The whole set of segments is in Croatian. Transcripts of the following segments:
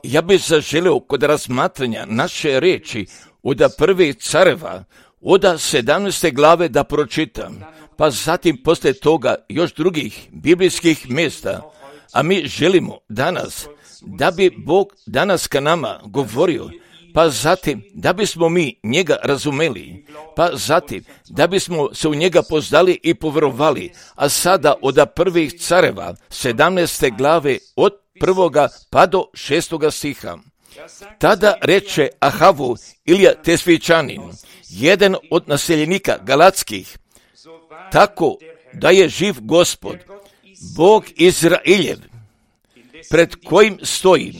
Ja bih zaželio kod razmatranja naše riječi od prvih careva, od 17. glave da pročitam, pa zatim poslije toga još drugih biblijskih mjesta, a mi želimo danas da bi Bog danas ka nama govorio, pa zatim da bismo mi njega razumeli, pa zatim da bismo se u njega poznali i povjerovali, a sada od prvih careva 17. glave od 1. pa do 6. stiha. Tada reče Ahavu Ilija Tesvičanin, jedan od naseljenika Galatskih, tako da je živ Gospod, Bog Izraeljev, pred kojim stojim.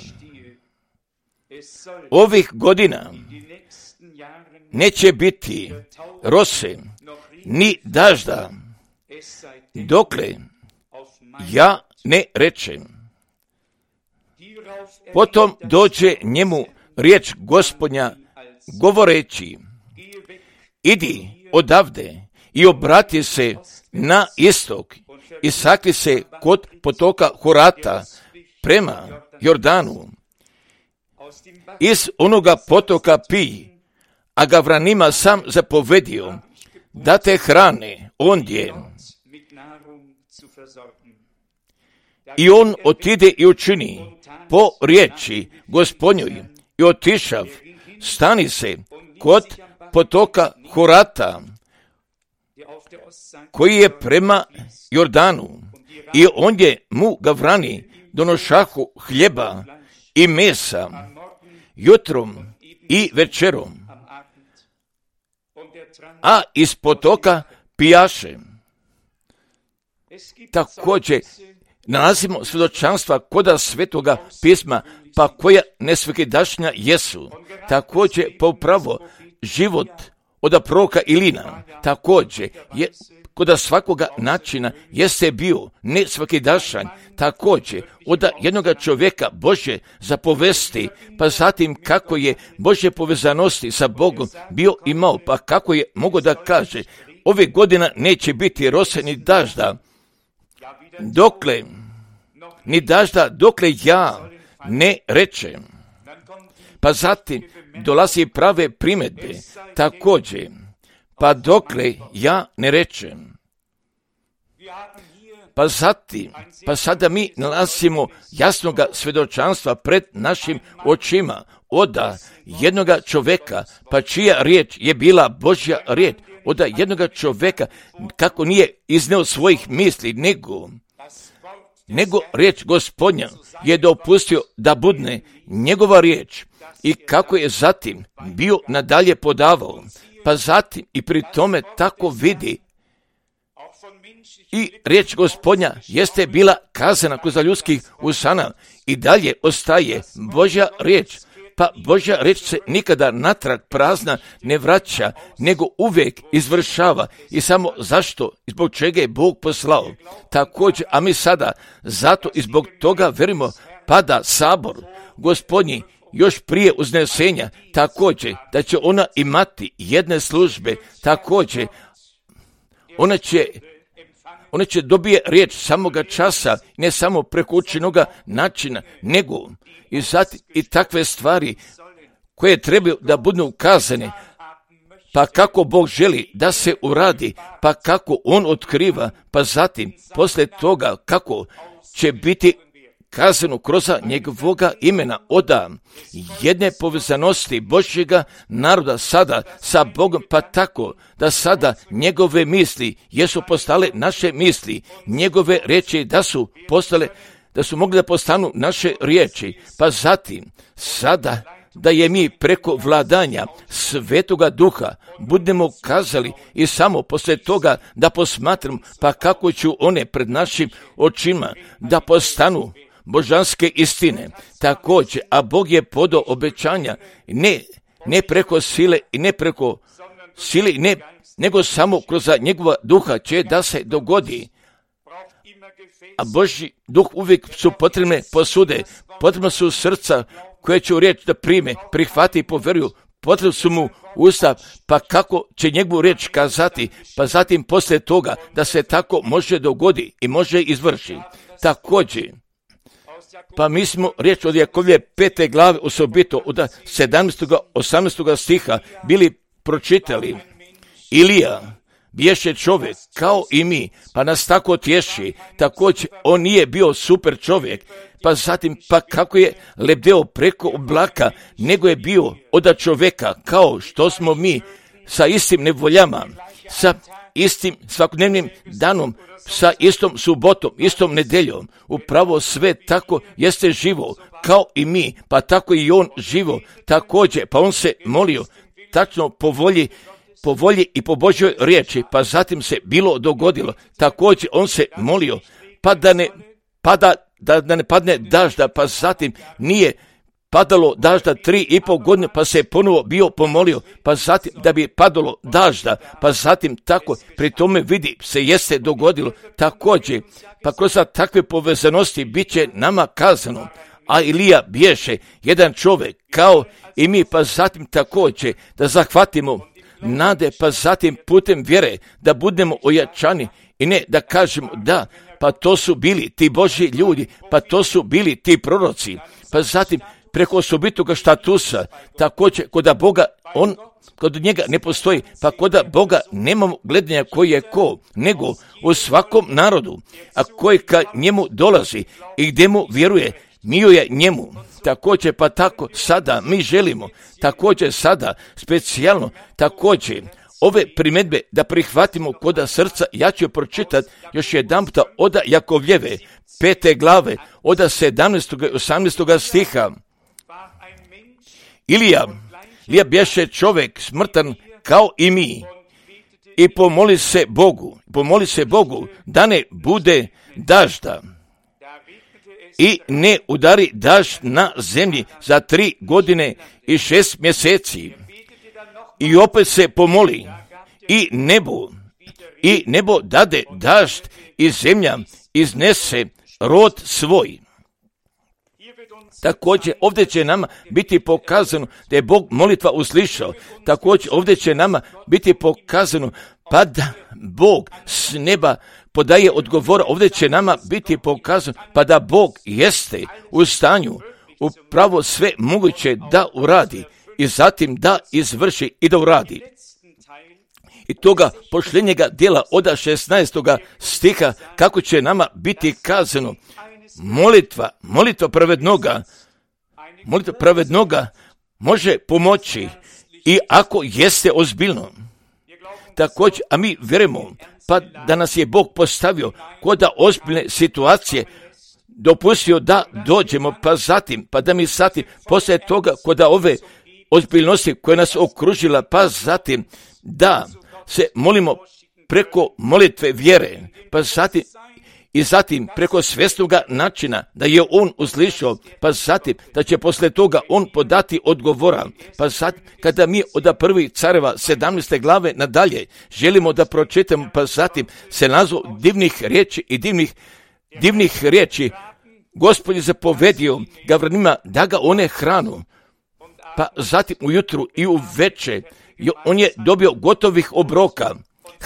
Ovih godina neće biti rose ni dažda, dokle ja ne rečem. Potom dođe njemu riječ Gospodnja govoreći, idi odavde i obrati se na istok i sakri se kod potoka Horata prema Jordanu. Iz onoga potoka pij, a Gavranima sam zapovedio da te hrane ondje. I on otide i učini po riječi Gospodnjoj i otišav, stani se kod potoka Horata, koji je prema Jordanu, i ondje mu Gavrani donošahu hljeba i mesa, jutrom i večerom, a iz potoka pijaše. Također nalazimo svjedočanstva koda Svetoga pisma, pa koja nesvakidašnja jesu. Također po pravo život od proroka Ilina, također je koda svakoga načina jeste bio nesvakidašan, također od jednoga čovjeka Bože zapovesti, pa zatim kako je Bože povezanosti sa Bogom bio imao, pa kako je mogo da kaže, ove godina neće biti rose ni dažda, dokle ja ne rečem. Pa zatim dolazi prave primjedbe, također, pa dokle ja ne rečem. Pa zatim, pa sada mi nalazimo jasnoga svjedočanstva pred našim očima od jednoga čovjeka, pa čija riječ je bila Božja riječ, od jednoga čovjeka kako nije izneo svojih misli, nego riječ Gospodnja je dopustio da budne njegova riječ i kako je zatim bio nadalje podavao, pa zatim i pri tome tako vidi i riječ Gospodnja jeste bila kazana kroz ljudskih usana i dalje ostaje Božja riječ, pa Božja riječ se nikada natrag prazna ne vraća, nego uvijek izvršava i samo zašto i zbog čega je Bog poslao. Također, a mi sada zato i zbog toga verimo pada sabor Gospodnji još prije uznesenja, također da će ona imati jedne službe, također ona će dobije riječ samoga časa, ne samo preko učenoga načina, nego i takve stvari koje trebaju da budu ukazane, pa kako Bog želi da se uradi, pa kako On otkriva, pa zatim poslije toga kako će biti kazano kroz njegovoga imena od jedne povezanosti Božjega naroda sada sa Bogom, pa tako da sada njegove misli jesu postale naše misli, njegove riječi da su mogli da postanu naše riječi, pa zatim sada da je mi preko vladanja Svetoga Duha budemo kazali i samo poslije toga da posmatramo pa kako ću one pred našim očima da postanu božanske istine. Također, a Bog je podao obećanja ne preko sile i ne preko sile, nego samo kroz njegova duha će da se dogodi. A Božji duh uvijek su potrebne posude, potrebno su srca koje će u riječ da prime, prihvati i povjeruju, potrebno su mu usta, pa kako će njegovu riječ kazati, pa zatim poslije toga da se tako može dogodi i može izvrši. Također, Pa mi smo riječ od Jakovlje 5. glave osobito od 17. 18. stiha bili pročitali. Ilija biješe čovjek kao i mi, pa nas tako tješi. Također on nije bio super čovjek, pa zatim pa kako je lebdeo preko oblaka, nego je bio od čovjeka kao što smo mi, sa istim nevoljama, sa istim svakodnevnim danom, sa istom subotom, istom nedeljom. Upravo sve tako jeste živo kao i mi, pa tako i on živo također, pa on se molio tačno po volji i po Božjoj riječi, pa zatim se bilo dogodilo. Također on se molio pa da ne padne dažda, pa zatim nije padalo dažda 3,5 godine, pa se ponovo bio pomolio, pa zatim da bi padalo dažda, pa zatim tako pri tome vidi se jeste dogodilo. Također, pa kroz takve povezanosti bit će nama kazano, a Ilija biješe jedan čovjek kao i mi, pa zatim također da zahvatimo nade, pa zatim putem vjere da budemo ojačani i ne da kažemo da, pa to su bili ti Božji ljudi, pa to su bili ti proroci, pa zatim preko osobitoga štatusa, također kod Boga, kod njega ne postoji, pa kod Boga nemamo gledanja koji je ko, nego u svakom narodu, a koji ka njemu dolazi i gdje mu vjeruje, miluje njemu. Također pa tako sada mi želimo, također sada specijalno, također ove primjedbe da prihvatimo kod srca. Ja ću pročitati još jedan puta od Jakovljeve 5. glave od 17. i 18. stiha. Ilija bješe čovjek smrtan kao i mi i pomoli se Bogu da ne bude dažda i ne udari dažd na zemlji za 3 godine i 6 mjeseci. I opet se pomoli i nebo dade dažd i zemlja iznese rod svoj. Također ovdje će nama biti pokazano da je Bog molitva uslišao. Također ovdje će nama biti pokazano pa da Bog s neba podaje odgovora. Ovdje će nama biti pokazano pa da Bog jeste u stanju upravo sve moguće da uradi i zatim da izvrši i da uradi. I toga pošljenjega dijela od 16. stiha kako će nama biti kazano molitva pravednoga može pomoći i ako jeste ozbiljno. Također, a mi vjerujemo pa da nas je Bog postavio kod ozbiljne situacije, dopustio da dođemo, pa zatim, pa da mi zatim, poslije toga kod ove ozbiljnosti koja nas okružila, pa zatim da se molimo preko molitve vjere, pa zatim preko svjesnoga načina da je on uslišao, pa zatim da će poslije toga on podati odgovora, pa zatim kada mi od 1. Careva 17. glave nadalje želimo da pročitamo, pa zatim se nazvu divnih riječi i divnih riječi. Gospod je zapovedio Gavranima da ga one hranu, pa zatim ujutru i u večer on je dobio gotovih obroka,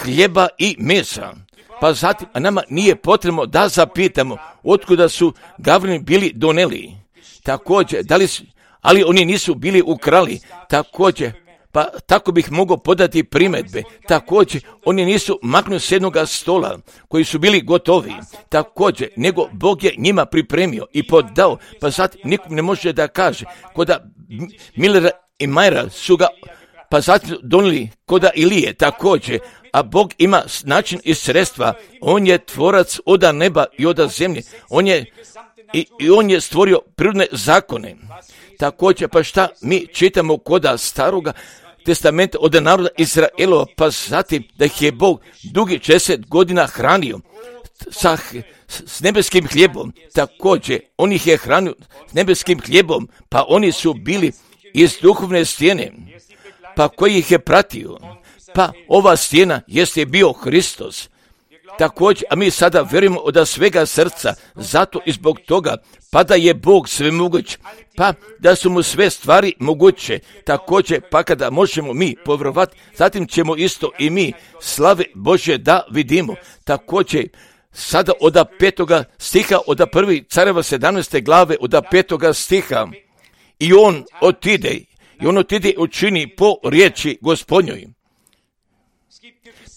hljeba i mesa. Pa zatim, a nama nije potrebno da zapitamo otkuda su Gavrani bili doneli. Također, ali oni nisu bili ukrali. Također, pa tako bih mogao podati primjedbe. Također, oni nisu maknuli s jednoga stola koji su bili gotovi. Također, nego Bog je njima pripremio i podao. Pa zatim nikom ne može da kaže koda Millera i Majera su ga pa zatim donijeli koda Ilije također, a Bog ima način i sredstva. On je tvorac od neba i od zemlje. On je stvorio prirodne zakone. Također, pa šta mi čitamo koda staroga testamenta od naroda Izraelova, pa zatim da ih je Bog dugi 60 godina hranio s nebeskim hljebom. Također, on ih je hranio s nebeskim hljebom, pa oni su bili iz duhovne stijene, pa koji ih je pratio. Pa ova stijena jeste bio Hristos. Također, a mi sada vjerujemo od svega srca, zato i zbog toga, pa da je Bog sve moguć, pa da su mu sve stvari moguće. Također, pa kada možemo mi povjerovati, zatim ćemo isto i mi slave Božje da vidimo. Također, sada od 5. stiha, od 1. Careva 17. glave, od 5. stiha. I on otide i učini po riječi Gospodnjoj.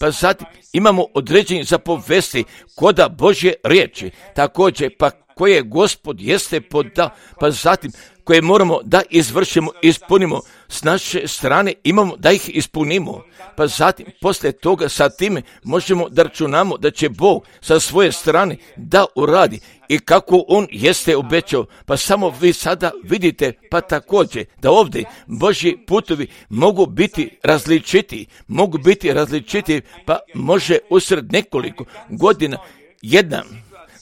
Pa zatim imamo određeni zapovesti koda Božje riječi, također pa koje Gospod jeste podao, pa zatim koje moramo da izvršimo, ispunimo s naše strane, imamo da ih ispunimo, pa zatim poslije toga sa time možemo da računamo da će Bog sa svoje strane da uradi i kako On jeste obećao, pa samo vi sada vidite pa također da ovdje Božji putovi mogu biti različiti, pa može usred nekoliko godina jedna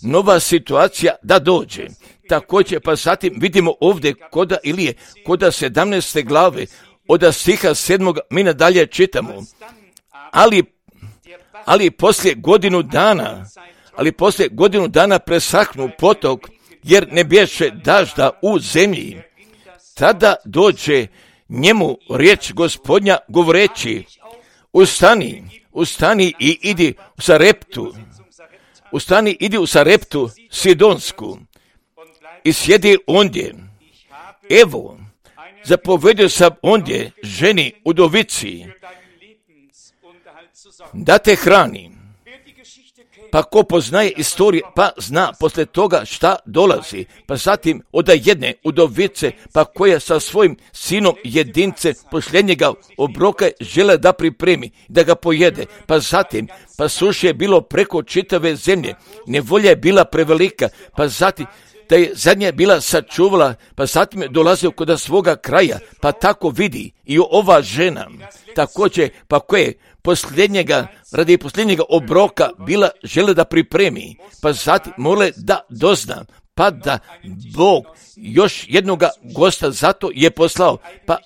nova situacija da dođe. Također pa zatim vidimo ovdje koda Ilije, koda 17. glave, od stiha 7. mi nadalje čitamo, ali poslije godinu dana presahnu potok, jer ne bješe dažda u zemlji. Tada dođe njemu riječ Gospodnja govoreći, ustani i idi u Sareptu Sidonsku i sjedi ondje. Evo, zapovedio sam ondje ženi udovici da te hrani. Pa ko poznaje istoriju, pa zna poslije toga šta dolazi. Pa zatim od jedne udovice, pa koja sa svojim sinom jedince posljednjega obroka žele da pripremi, da ga pojede. Pa zatim, pa suše je bilo preko čitave zemlje, nevolja je bila prevelika, pa zatim da je zadnja bila sačuvala, pa zatim je dolazio kod svoga kraja, pa tako vidi i ova žena, također pa koje radi posljednjega obroka bila žele da pripremi, pa zatim mole da dozna, pa da Bog još jednoga gosta zato je poslao, pa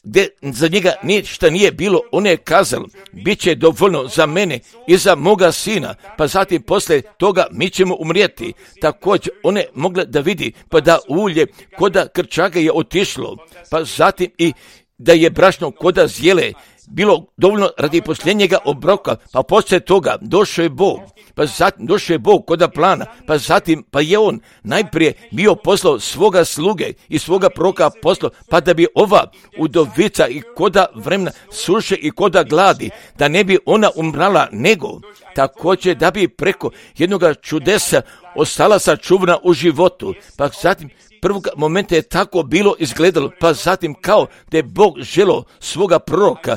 gdje za njega ništa nije bilo, on je kazao, bit će dovoljno za mene i za moga sina, pa zatim poslije toga mi ćemo umrijeti. Također one mogle da vidi, pa da ulje koda krčaga je otišlo, pa zatim i da je brašno koda zjele bilo dovoljno radi posljednjega obroka, pa poslije toga došao je Bog, pa zatim došao je Bog koda plana, pa zatim pa je on najprije bio poslao svoga sluge i svoga proroka poslao, pa da bi ova udovica i koda vremena suše i koda gladi, da ne bi ona umrala, nego također da bi preko jednoga čudesa ostala sačuvana u životu, pa zatim prvog momenta je tako bilo izgledalo, pa zatim kao da je Bog želio svoga proroka,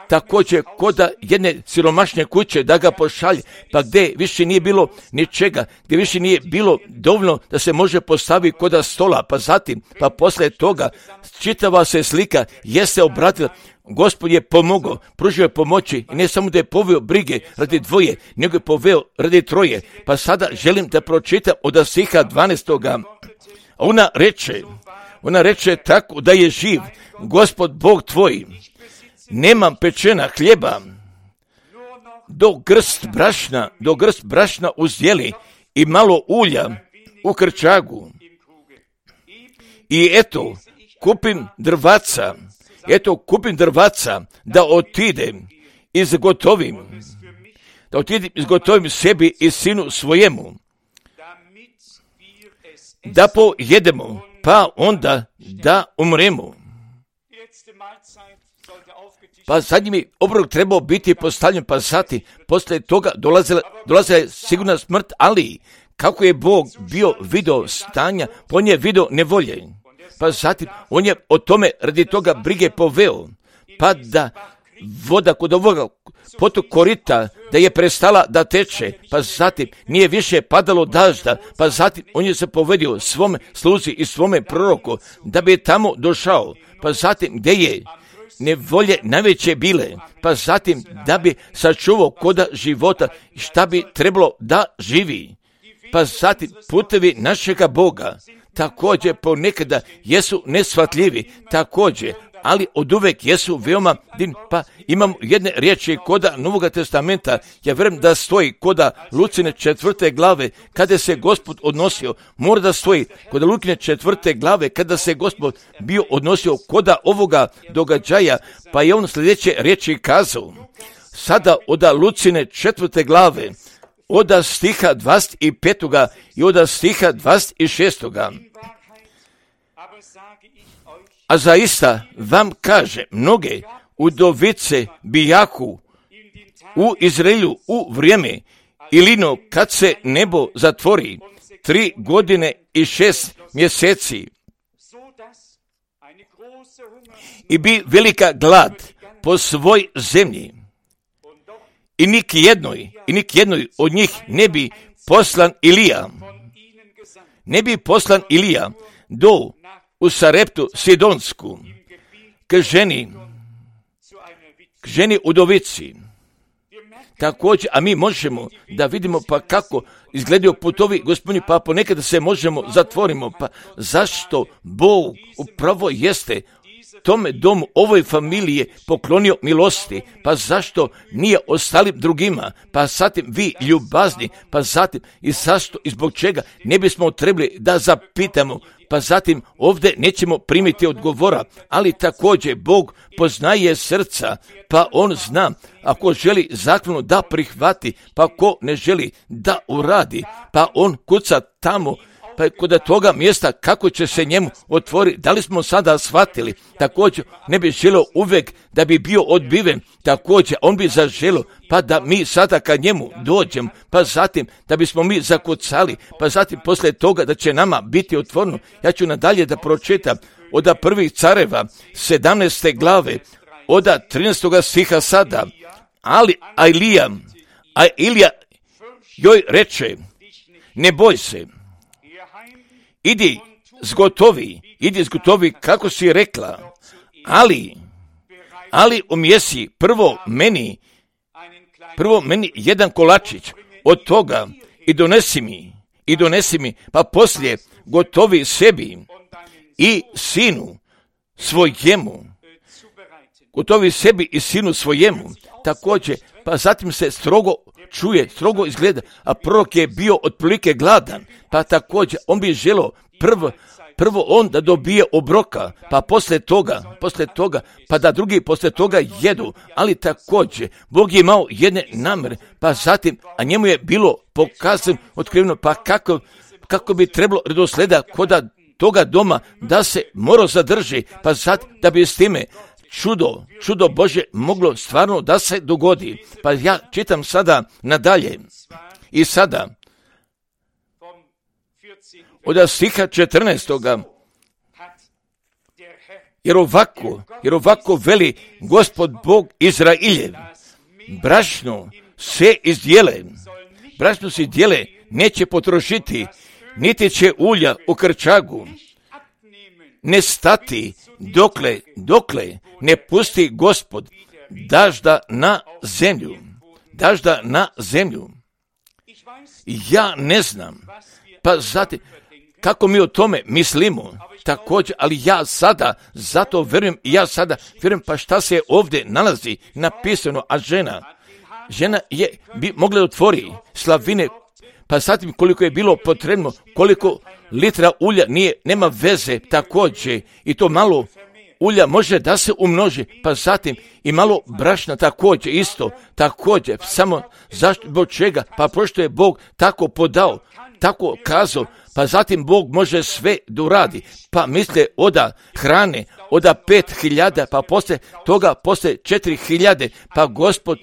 također koda jedne siromašne kuće da ga pošalje, pa gdje više nije bilo ničega, gdje više nije bilo dovoljno da se može postaviti koda stola, pa zatim, pa poslije toga čitava se slika jeste obratila, Gospod je pomogao, pružio je pomoći i ne samo da je poveo brige radi dvoje, nego je poveo radi troje, pa sada želim da pročitam od stiha 12. Ona reče tako da je živ Gospod Bog tvoj, nemam pečena hljeba, do grst brašna uzdjeli i malo ulja u krčagu. I eto, kupim drvaca da otidem izgotovim sebi i sinu svojemu, da pojedemo, pa onda da umremo. Pa zadnji mi obrok trebao biti postavljen, pa zatim poslije toga dolazila je sigurna smrt, ali kako je Bog bio video stanja, on je video nevolje. Pa zatim on je o tome radi toga brige poveo, pa da voda kod ovoga potok korita da je prestala da teče, pa zatim nije više padalo dažda, pa zatim on je se povedio svome sluzi i svome proroku da bi tamo došao, pa zatim gdje je nevolje najveće bile, pa zatim da bi sačuvao koda života šta bi trebalo da živi, pa zatim putevi našega Boga također ponekada jesu neshvatljivi, također, ali oduvek jesu veoma divni. Pa imam jedne riječi koda Novoga testamenta, ja vjerujem da stoji koda Lucine 4. glave, kada se Gospod odnosio, mora da stoji koda Lukine 4. glave, kada se Gospod bio odnosio koda ovoga događaja, pa je on sljedeće riječi kazao. Sada od Lucine 4. glave, od stiha 25. i od stiha 26. A zaista vam kaže, mnoge udovice bijahu u Izraelu u vrijeme Ilino kad se nebo zatvori 3 godine i 6 mjeseci i bi velika glad po svoj zemlji i nik jednoj od njih ne bi poslan Ilija do u Sareptu Sidonsku k ženi udovici. Također, a mi možemo da vidimo pa kako izgledaju putovi Gospodnji, pa ponekada se možemo zatvorimo, pa zašto Bog upravo jeste tome domu, ovoj familiji poklonio milosti, pa zašto nije ostalim drugima, pa zatim vi ljubazni, pa zatim i zašto i zbog čega ne bismo trebali da zapitamo, pa zatim ovdje nećemo primiti odgovora, ali također Bog poznaje srca, pa On zna ako želi zakonu da prihvati, pa ko ne želi da uradi, pa On kuca tamo, pa kod toga mjesta kako će se njemu otvoriti. Da li smo sada shvatili? Također ne bi želio uvijek da bi bio odbiven, također on bi zaželio pa da mi sada kad njemu dođemo, pa zatim da bismo mi zakucali, pa zatim poslije toga da će nama biti otvoreno. Ja ću nadalje da pročitam od prvih careva 17. glave od 13. stiha sada. Ali Ilija joj reče, ne boj se, idi zgotovi kako si rekla, ali umjesi prvo meni jedan kolačić od toga i donesi mi, pa poslije gotovi sebi i sinu svojemu, također, pa zatim se strogo čuje, strogo izgleda, a prorok je bio otprilike gladan, pa također on bi želio prvo on da dobije obroka, pa poslije toga, pa da drugi poslije toga jedu, ali također Bog je imao jedne namere, pa zatim, a njemu je bilo pokazano, otkriveno, pa kako bi trebalo redoslijeda kod toga doma da se morao zadrži, pa zatim da bi s time čudo Bože moglo stvarno da se dogodi. Pa ja čitam sada nadalje i sada od stiha 14. Jer ovako veli Gospod Bog Izrailjev, brašno se izdjele, neće potrošiti, niti će ulja u krčagu ne stati, dokle ne pusti Gospod dažda na zemlju. Ja ne znam, pa zatim, kako mi o tome mislimo, također, ali ja sada, zato vjerujem, pa šta se ovdje nalazi napisano, a žena je mogla otvori slavine, pa zatim koliko je bilo potrebno, koliko litra ulja nema veze, također, i to malo ulja može da se umnoži, pa zatim i malo brašna također isto, također, samo zašto, zbog čega, pa pošto je Bog tako podao, tako kazao, pa zatim Bog može sve da uradi, pa misle oda hrane, oda 5.000, pa poslije toga, poslije 4.000, pa Gospod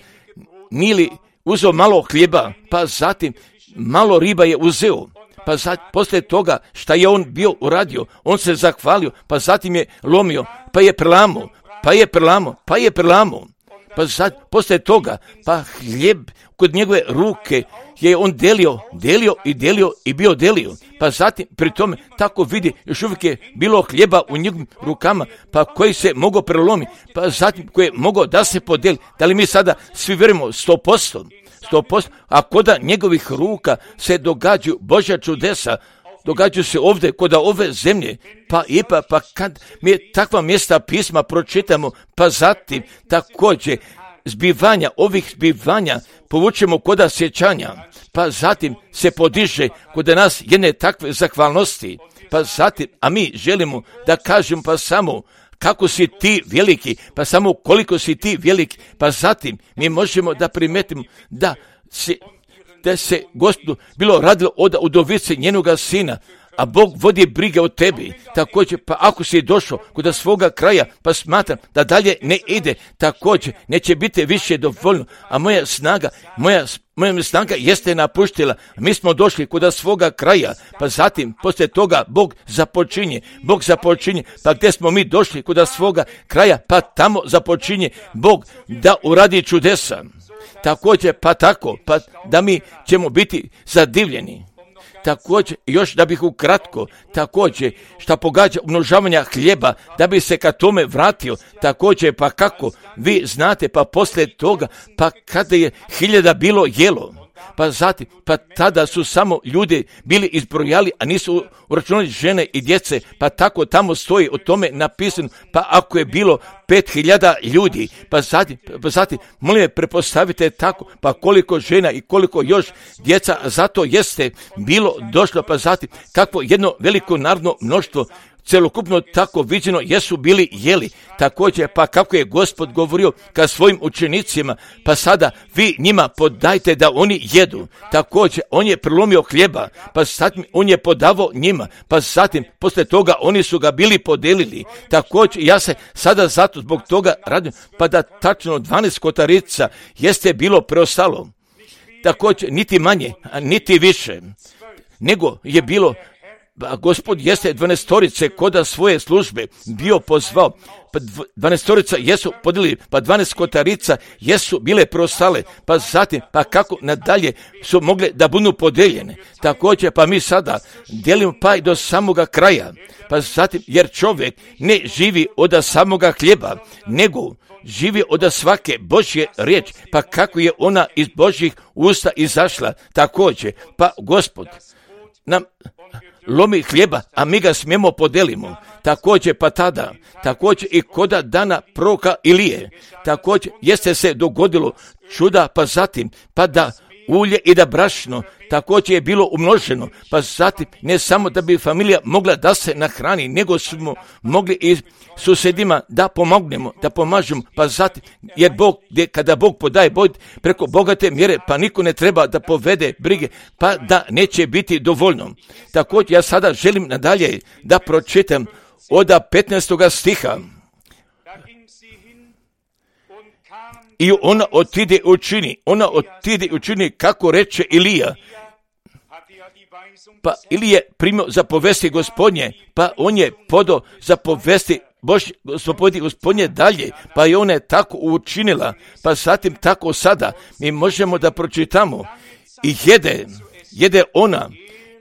nili uzeo malo hljeba, pa zatim malo riba je uzeo, pa poslije toga šta je on bio uradio, on se zahvalio, pa zatim je lomio, pa je prelamo, poslije toga, pa hljeb kod njegove ruke je on delio i bio delio, pa zatim pri tome tako vidi, još uvijek je bilo hljeba u njegovim rukama, pa koji se mogao prelomiti, pa zatim koji je mogao da se podeli. Da li mi sada svi vjerujemo 100%, a koda njegovih ruka se događaju Božja čudesa, događaju se ovdje kod ove zemlje, pa kad mi takva mjesta pisma pročitamo, pa zatim također ovih zbivanja povučemo koda sjećanja, pa zatim se podiže kod nas jedne takve zahvalnosti, pa zatim, a mi želimo da kažemo pa samo kako si ti veliki, pa samo koliko si ti veliki, pa zatim mi možemo da primetimo da da se Gospodu bilo radilo od udovice njenoga sina, a Bog vodi brige o tebi. Također, pa ako si došao kod svoga kraja, pa smatram da dalje ne ide, također neće biti više dovoljno, a moja snaga jeste napuštila. Mi smo došli kod svoga kraja, pa zatim, poslije toga, Bog započinje, pa gdje smo mi došli kod svoga kraja, pa tamo započinje Bog da uradi čudesa. Također, pa tako, pa da mi ćemo biti zadivljeni. Također, još da bih ukratko, također, šta pogađa umnožavanja hljeba, da bi se ka tome vratio, također, pa kako, vi znate, pa poslije toga, pa kada je 1000 bilo jelo, pa zatim, pa tada su samo ljudi bili izbrojali, a nisu uračunali žene i djece, pa tako tamo stoji o tome napisano, pa ako je bilo 5000 ljudi, pa zatim, molim me, prepostavite tako, pa koliko žena i koliko još djeca, zato jeste bilo došlo, pa zatim, kakvo jedno veliko narodno mnoštvo, celokupno tako viđeno jesu bili jeli. Također, pa kako je Gospod govorio ka svojim učenicima, pa sada vi njima podajte da oni jedu. Također, on je prelomio hljeba, pa zatim on je podavao njima, pa zatim poslije toga oni su ga bili podelili. Također, ja se sada zato zbog toga radim, pa da tačno 12 kotarica jeste bilo preostalo. Također, niti manje, a niti više, nego je bilo. Gospod jeste 12 koda svoje službe bio pozvao, pa 12 jesu podijelili, pa 12 kotarica jesu bile preostale, pa zatim, pa kako nadalje su mogle da budu podeljene. Također, pa mi sada dijelimo pa i do samoga kraja, pa zatim, jer čovjek ne živi od samoga hljeba, nego živi od svake Božje riječi, pa kako je ona iz Božjih usta izašla. Također, pa Gospod nam lomi hljeba, a mi ga smijemo podelimo. Također, pa tada, također i koda dana proroka Ilije, također jeste se dogodilo čuda, pa zatim, pa da ulje i da brašno također je bilo umnoženo, pa zatim ne samo da bi familija mogla da se nahrani, nego smo mogli i susjedima da pomognemo, da pomažemo, pa zatim, jer Bog, kada Bog podaje preko bogate mjere, pa niko ne treba da povede brige, pa da neće biti dovoljno. Također ja sada želim nadalje da pročitam od 15. stiha. I ona otide učini kako reče Ilija. Pa Ilije primio zapovesti Gospodnje, pa on je podao zapovesti Gospodnje dalje, pa i ona je tako učinila, pa zatim tako sada mi možemo da pročitamo i jede ona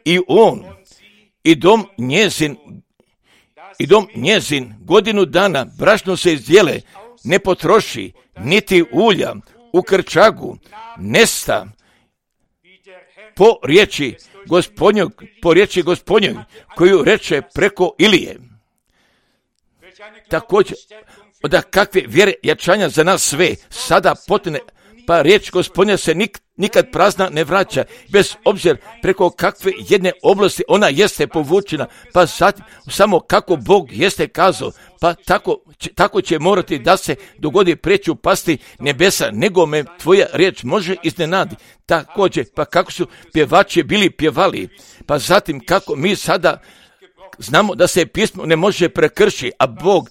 i on i dom njezin godinu dana brašno se izdjele, ne potroši, niti ulja u krčagu nesta po riječi Gospodnjoj koju reče preko Ilije. Također, od kakve vjere jačanja za nas sve sada potne, pa riječ Gospodnja se nikad prazna ne vraća, bez obzira preko kakve jedne oblasti ona jeste povučena, pa zatim samo kako Bog jeste kazao, pa tako će morati da se dogodi preću pasti nebesa, nego me tvoja riječ može iznenadi. Također, pa kako su pjevači bili pjevali, pa zatim kako mi sada znamo da se pismo ne može prekršiti, a Bog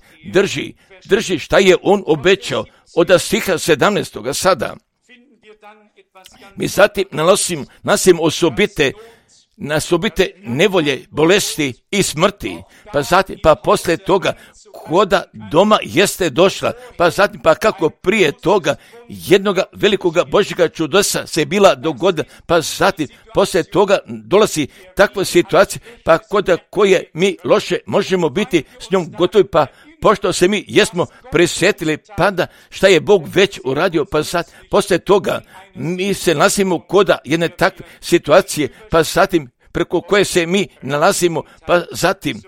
drži šta je on obećao od stiha 17. sada. Mi zatim nalazimo osobite nevolje, bolesti i smrti, pa zatim, pa poslije toga koda doma jeste došla, pa zatim, pa kako prije toga jednoga velikoga Božjega čudesa se bila dogodila, pa zatim, poslije toga dolazi takva situacija, pa koda koje mi loše možemo biti s njom gotovi, pa pošto se mi jesmo prisjetili pada šta je Bog već uradio, pa sad poslije toga mi se nalazimo koda jedne takve situacije, pa zatim preko koje se mi nalazimo, pa zatim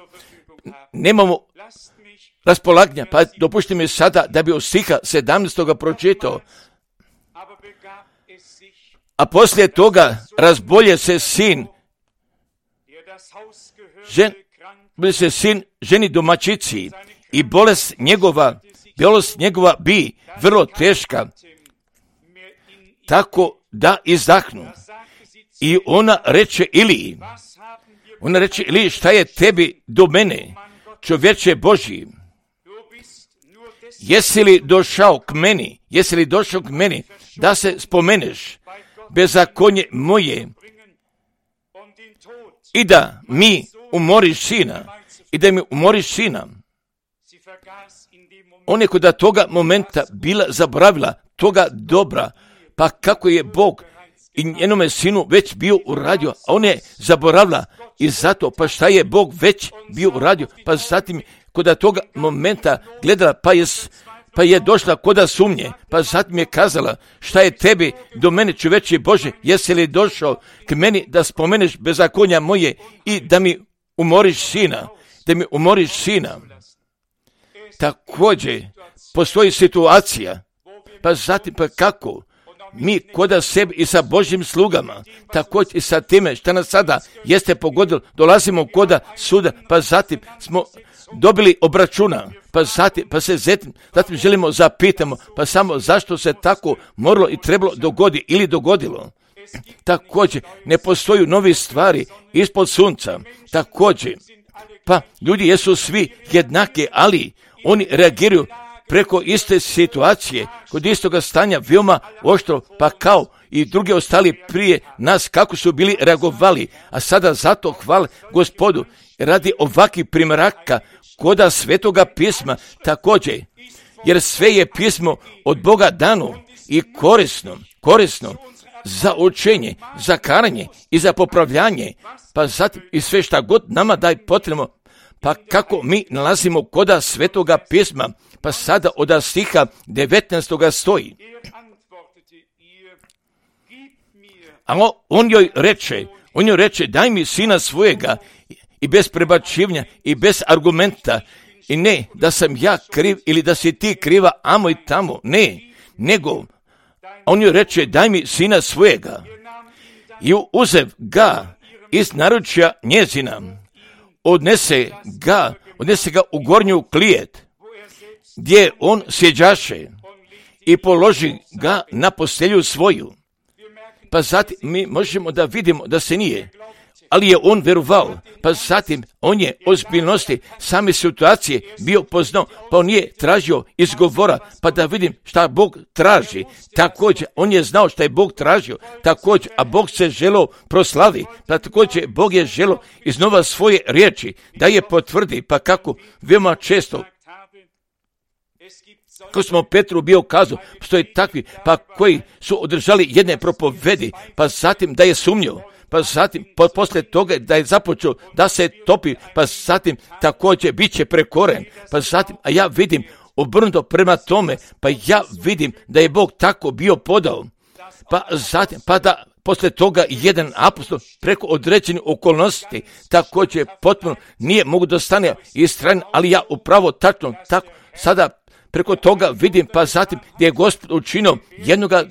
nemamo raspolaganja, pa dopušti mi sada da bi od stiha 17. pročitao. A poslije toga razbolje se sin ženi domaćici i bolest njegova bi vrlo teška, tako da izdahnu. I ona reče Iliji, šta je tebi do mene, čovječe Božji? Jesi li došao k meni, da se spomeneš bezakonje moje i da mi umoriš sina? Ona je kod toga momenta bila zaboravila toga dobra, pa kako je Bog i njenome sinu već bio uradio, a ona je zaboravila i zato, pa šta je Bog već bio uradio, pa zatim kod toga momenta gledala, pa je došla koda sumnje, pa zatim je kazala, šta je tebi do mene, čoveče Bože, jesi li došao k meni da spomeneš bezakonja moje i da mi umoriš sina? Također postoji situacija, pa zatim pa kako mi koda sebi i sa Božjim slugama, također i sa time što nas sada jeste pogodilo, dolazimo koda suda, pa zatim smo dobili obračuna, pa se zatim želimo zapitamo, pa samo zašto se tako moralo i trebalo dogodilo. Također ne postoju nove stvari ispod sunca, također, pa ljudi jesu svi jednake, ali oni reagiraju preko iste situacije, kod istoga stanja veoma oštro, pa kao i drugi ostali prije nas kako su bili reagovali, a sada zato hvala Gospodu radi ovakvih primjeraka koda Svetoga pisma također, jer sve je pismo od Boga dano i korisno za učenje, za karanje i za popravljanje, pa zatim i sve šta god nama daj potrebno, pa kako mi nalazimo koda Svetoga pisma, pa sada od stiha 19. stoji. A on joj reče, daj mi sina svojega, i bez prebačivanja i bez argumenta, i ne da sam ja kriv ili da si ti kriva amo i tamo, ne, nego on joj reče, daj mi sina svojega, i uzev ga iz naručja njezina, odnese ga u gornju klijet, gdje on sjeđaše, i položi ga na postelju svoju. Pa zatim mi možemo da vidimo da se nije, ali je on verovao, pa zatim on je ozbiljnosti same situacije bio poznao, pa on je tražio izgovora, pa da vidim šta Bog traži. Također, on je znao šta je Bog tražio, također, a Bog se želeo proslavi, pa također Bog je želeo iznova svoje riječi, da je potvrdi, pa kako veoma često, ko smo Petru bio kazao, postoji takvi, pa koji su održali jedne propovedi, pa zatim da je sumnjao, pa zatim posle toga da je započeo da se topi, pa zatim također bit će prekoren, pa zatim, a ja vidim obrnuto prema tome, pa ja vidim da je Bog tako bio podao, pa zatim, pa da posle toga jedan apostol preko određenih okolnosti također potpuno nije mogu da stane istrajan, ali ja upravo tačno tako sada preko toga vidim, pa zatim gdje je Gospod učinio jednoga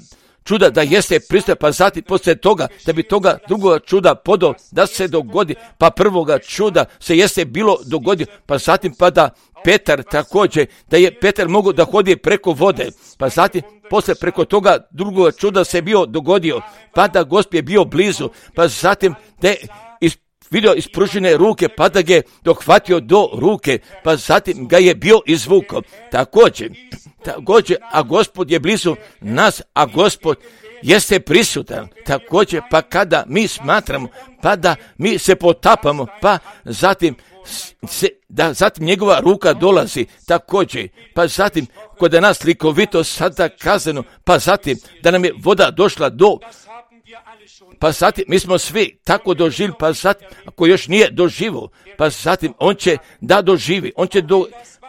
čuda da jeste pristojan, pa zatim poslije toga da bi toga drugoga čuda podao da se dogodi, pa prvoga čuda se jeste bilo dogodio, pa zatim pa da Petar također, da je Petar mogao da hodi preko vode, pa zatim poslije preko toga drugoga čuda se bio dogodio, pa da Gospod je bio blizu, pa zatim da je vidio ispružene ruke, pa da ga je dohvatio do ruke, pa zatim ga je bio izvukao. Također, a Gospod je blizu nas, a Gospod jeste prisutan. Također, pa kada mi smatramo, pa da mi se potapamo, pa zatim zatim njegova ruka dolazi također, pa zatim kod nas likovito sada kazano, pa zatim da nam je voda došla pa zatim mi smo svi tako doživjeli, pa zatim ako još nije doživio, pa zatim on će da doživi,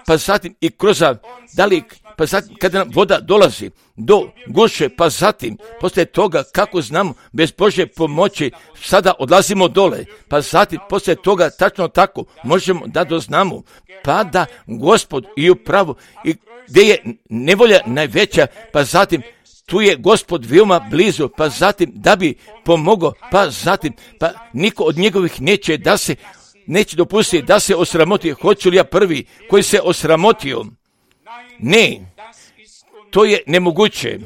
pa zatim i kroz pa zatim kada nam voda dolazi do guše, pa zatim poslije toga kako znamo bez Božje pomoći sada odlazimo dole, pa zatim poslije toga tačno tako možemo da doznamo, pa da Gospod i upravo i gdje je nevolja najveća, pa zatim tu je Gospod veoma blizu, pa zatim da bi pomogao, pa zatim pa niko od njegovih neće dopustiti da se osramoti. Hoću li ja prvi koji se osramotio? Ne, to je nemoguće.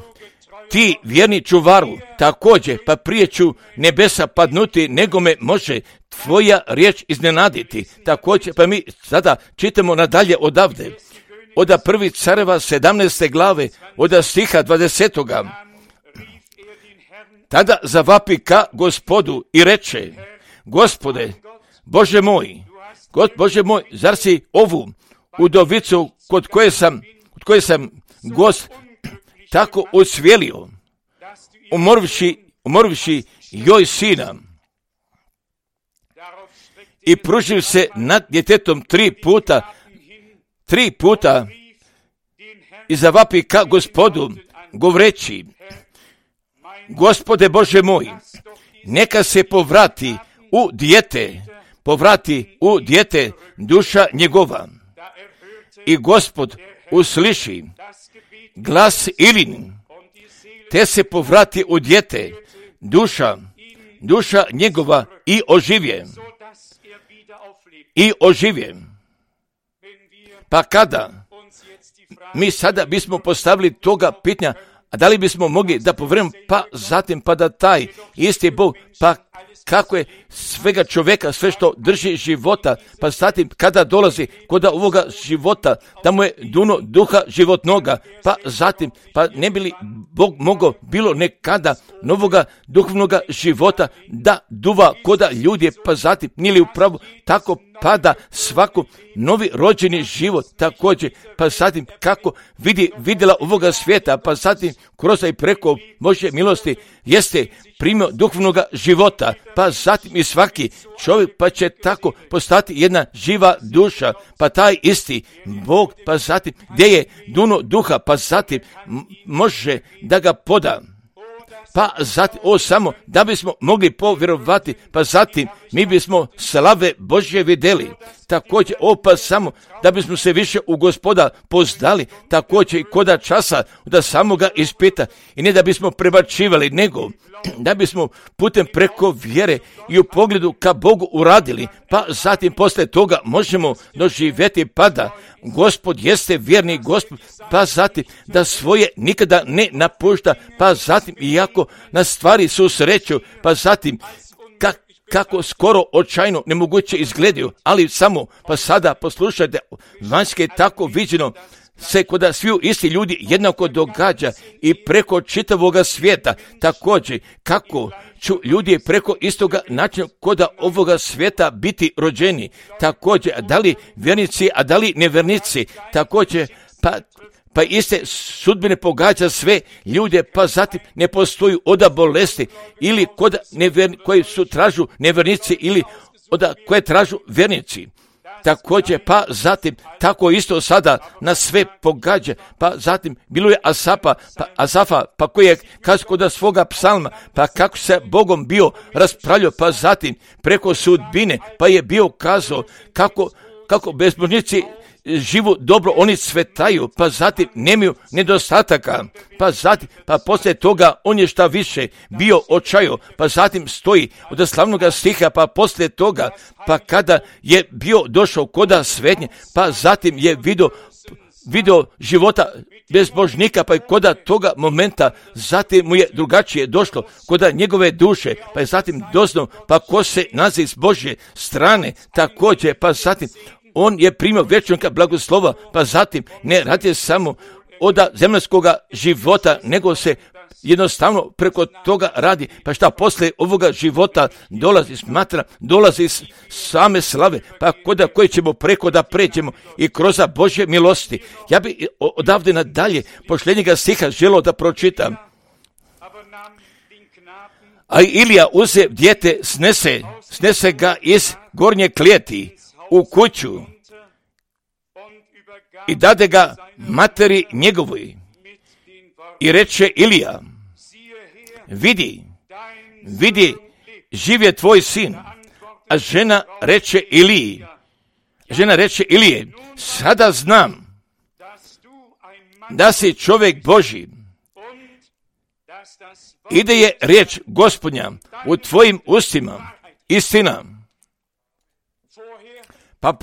ti vjerni čuvaru, također, pa prije ću nebesa padnuti, nego me može tvoja riječ iznenaditi. Također, pa mi sada čitamo nadalje odavde, od 1. Careva 17. glave, od stiha 20. Tada zavapi ka Gospodu i reče: Gospode, Bože moj, zar si ovu udovicu kod koje sam gost tako osvijelio, umorivši joj sina, i pružil se nad djetetom 3 puta i zavapi ka Gospodu, govoreći: Gospode Bože moj, neka se povrati u dijete duša njegova. I Gospod usliši glas Ilin, te se povrati u dijete duša njegova i oživje. Pa kada mi sada bismo postavili toga pitanja, a da li bismo mogli da povrememo, pa zatim pa da taj isti Bog, pa kako je svega čovjeka, sve što drži života, pa zatim kada dolazi kod ovoga života, tamo je duno duha životnoga, pa zatim, pa ne bi li Bog mogao bilo nekada novoga duhovnoga života da duva koda ljudi, pa zatim nije li upravo tako pada svako novi rođeni život također, pa zatim kako vidjela ovoga svijeta, pa zatim kroz i preko Božje milosti jeste primio duhovnoga života, pa zatim i svaki čovjek pa će tako postati jedna živa duša, pa taj isti Bog, pa zatim gdje je duno duha, pa zatim može da ga poda. Pa zatim, samo da bismo mogli povjerovati, pa zatim mi bismo slave Božje vidjeli. Također, pa samo da bismo se više u Gospoda poznali, također i koda časa da samoga ispita, i ne da bismo prebačivali, nego da bismo putem preko vjere i u pogledu ka Bogu uradili, pa zatim posle toga možemo doživjeti pada. Gospod jeste vjerni Gospod, pa zatim da svoje nikada ne napušta, pa zatim iako na stvari susreću, pa zatim kako skoro očajno nemoguće izgledaju, ali samo pa sada poslušajte, vanjske tako viđeno se koda sviju isti ljudi jednako događa i preko čitavoga svijeta. Također, kako ću ljudi preko istoga načina koda ovoga svijeta biti rođeni. Također, da li vjernici, a da li nevjernici. Također, pa iste sudbine pogađa sve ljude, pa zatim ne postoji oda bolesti ili kod koji su tražu nevjernici ili oda koje tražu vjernici. Također, pa zatim tako isto sada na sve pogađa, pa zatim bilo je Asafa, pa koji je kazao da svoga psalma, pa kako se Bogom bio raspravljao, pa zatim preko sudbine, pa je bio kazao kako bezbožnici živu dobro, oni cvetaju, pa zatim nemaju nedostataka, pa zatim, pa poslije toga on je šta više bio očajo, pa zatim stoji od slavnoga stiha, pa poslije toga, pa kada je bio došao koda svetnje, pa zatim je video života bezbožnika, pa i koda toga momenta, zatim mu je drugačije došlo koda njegove duše, pa je zatim doznao, pa ko se nalazi s Božje strane, također, pa zatim on je primio vječnoga blagoslova, pa zatim ne radi samo od zemaljskoga života, nego se jednostavno preko toga radi, pa šta poslije ovoga života dolazi iz same slave, pa koda koji ćemo preko da pređemo i kroz Božje milosti. Ja bi odavde nadalje posljednjega stiha želio da pročitam. A Ilija uze dijete, snese ga iz gornje klijeti u kuću i dade ga materi njegovoj. I reče Ilija: vidi, živ je tvoj sin. A žena reče Ilije: sada znam da si čovjek Božji i da je riječ Gospodnja u tvojim ustima istina. Pa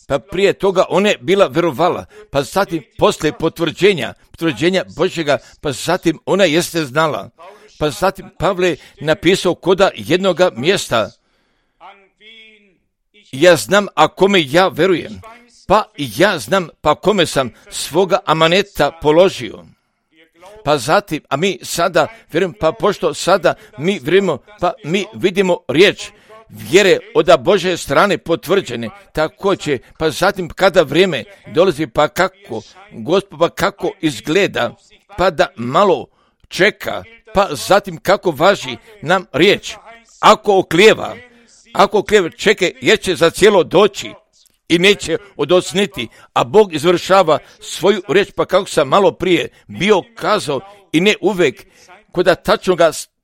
pa prije toga ona je bila verovala, pa zatim poslije potvrđenja Božjega, pa zatim ona jeste znala. Pa zatim Pavle napisao koda jednoga mjesta, ja znam a kome ja verujem, pa ja znam pa kome sam svoga amaneta položio. Pa zatim, a mi sada vjerujemo, pa pošto sada mi vjerujemo, pa mi vidimo riječ vjere od Božje strane potvrđene, također, pa zatim kada vrijeme dolazi, pa kako, Gospod, pa kako izgleda, pa da malo čeka, pa zatim kako važi nam riječ. Ako oklijeva, čekaj, jer će za cijelo doći i neće odocniti, a Bog izvršava svoju riječ, pa kako sam malo prije bio kazao, i ne uvijek kod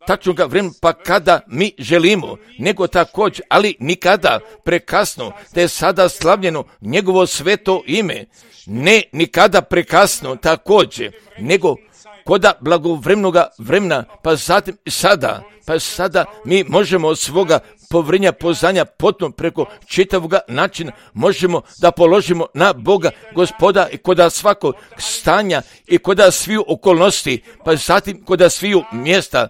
tačnoga vremena, pa kada mi želimo, nego također, ali nikada prekasno, da je sada slavljeno njegovo sveto ime, ne nikada prekasno također, nego koda blagovremnoga vremena, pa zatim sada mi možemo od svoga povjerenja, poznanja potom preko čitavoga načina možemo da položimo na Boga Gospoda i koda svakog stanja i koda sviju okolnosti, pa zatim koda sviju mjesta,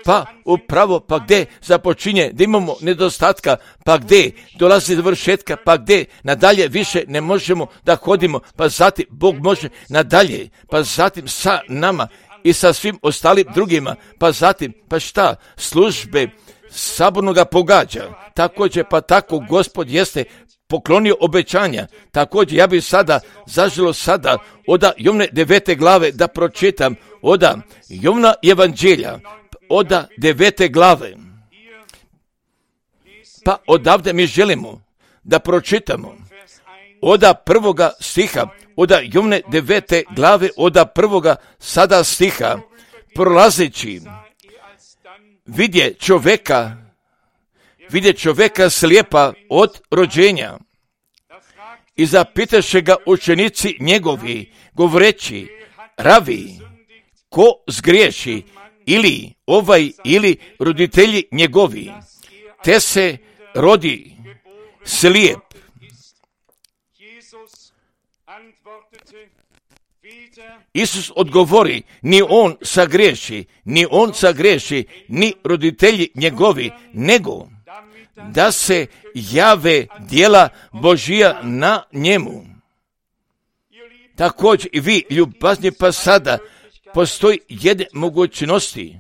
pa upravo, pa gdje započinje, da imamo nedostatka, pa gdje dolazi do vršetka, pa gdje nadalje više ne možemo da hodimo, pa zatim Bog može nadalje, pa zatim sa nama i sa svim ostalim drugima, pa zatim, pa šta, službe sabornoga pogađa, također, pa tako Gospod jeste poklonio obećanja. Također ja bih sada zaželo sada od Jovne 9. glave da pročitam od Jovna evanđelja, od 9. glave. Pa odavde mi želimo da pročitamo od 1. stiha, od Jovne 9. glave, od 1. sada stiha, prolazeći vidje čovjeka slijepa od rođenja. I zapitaše ga učenici njegovi, govoreći, Ravi, ko zgriješi, ili ovaj, ili roditelji njegovi, te se rodi slijep. Isus odgovori, ni on sagriješi, ni roditelji njegovi, nego da se jave djela Božija na njemu. Također i vi, ljubazni, pa sada postoji jedne mogućnosti,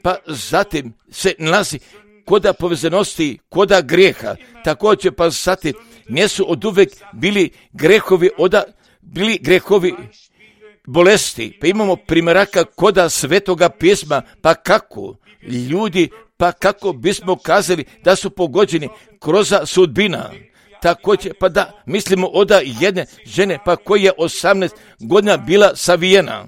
pa zatim se nalazi koda povezanosti, koda grijeha, također pa zatim nisu od uvek bili grehovi bolesti, pa imamo primjeraka koda Svetoga pisma, pa kako ljudi, pa kako bismo kazali da su pogođeni kroz sudbina. Također, pa da mislimo od jedne žene, pa koja je 18 godina bila savijena.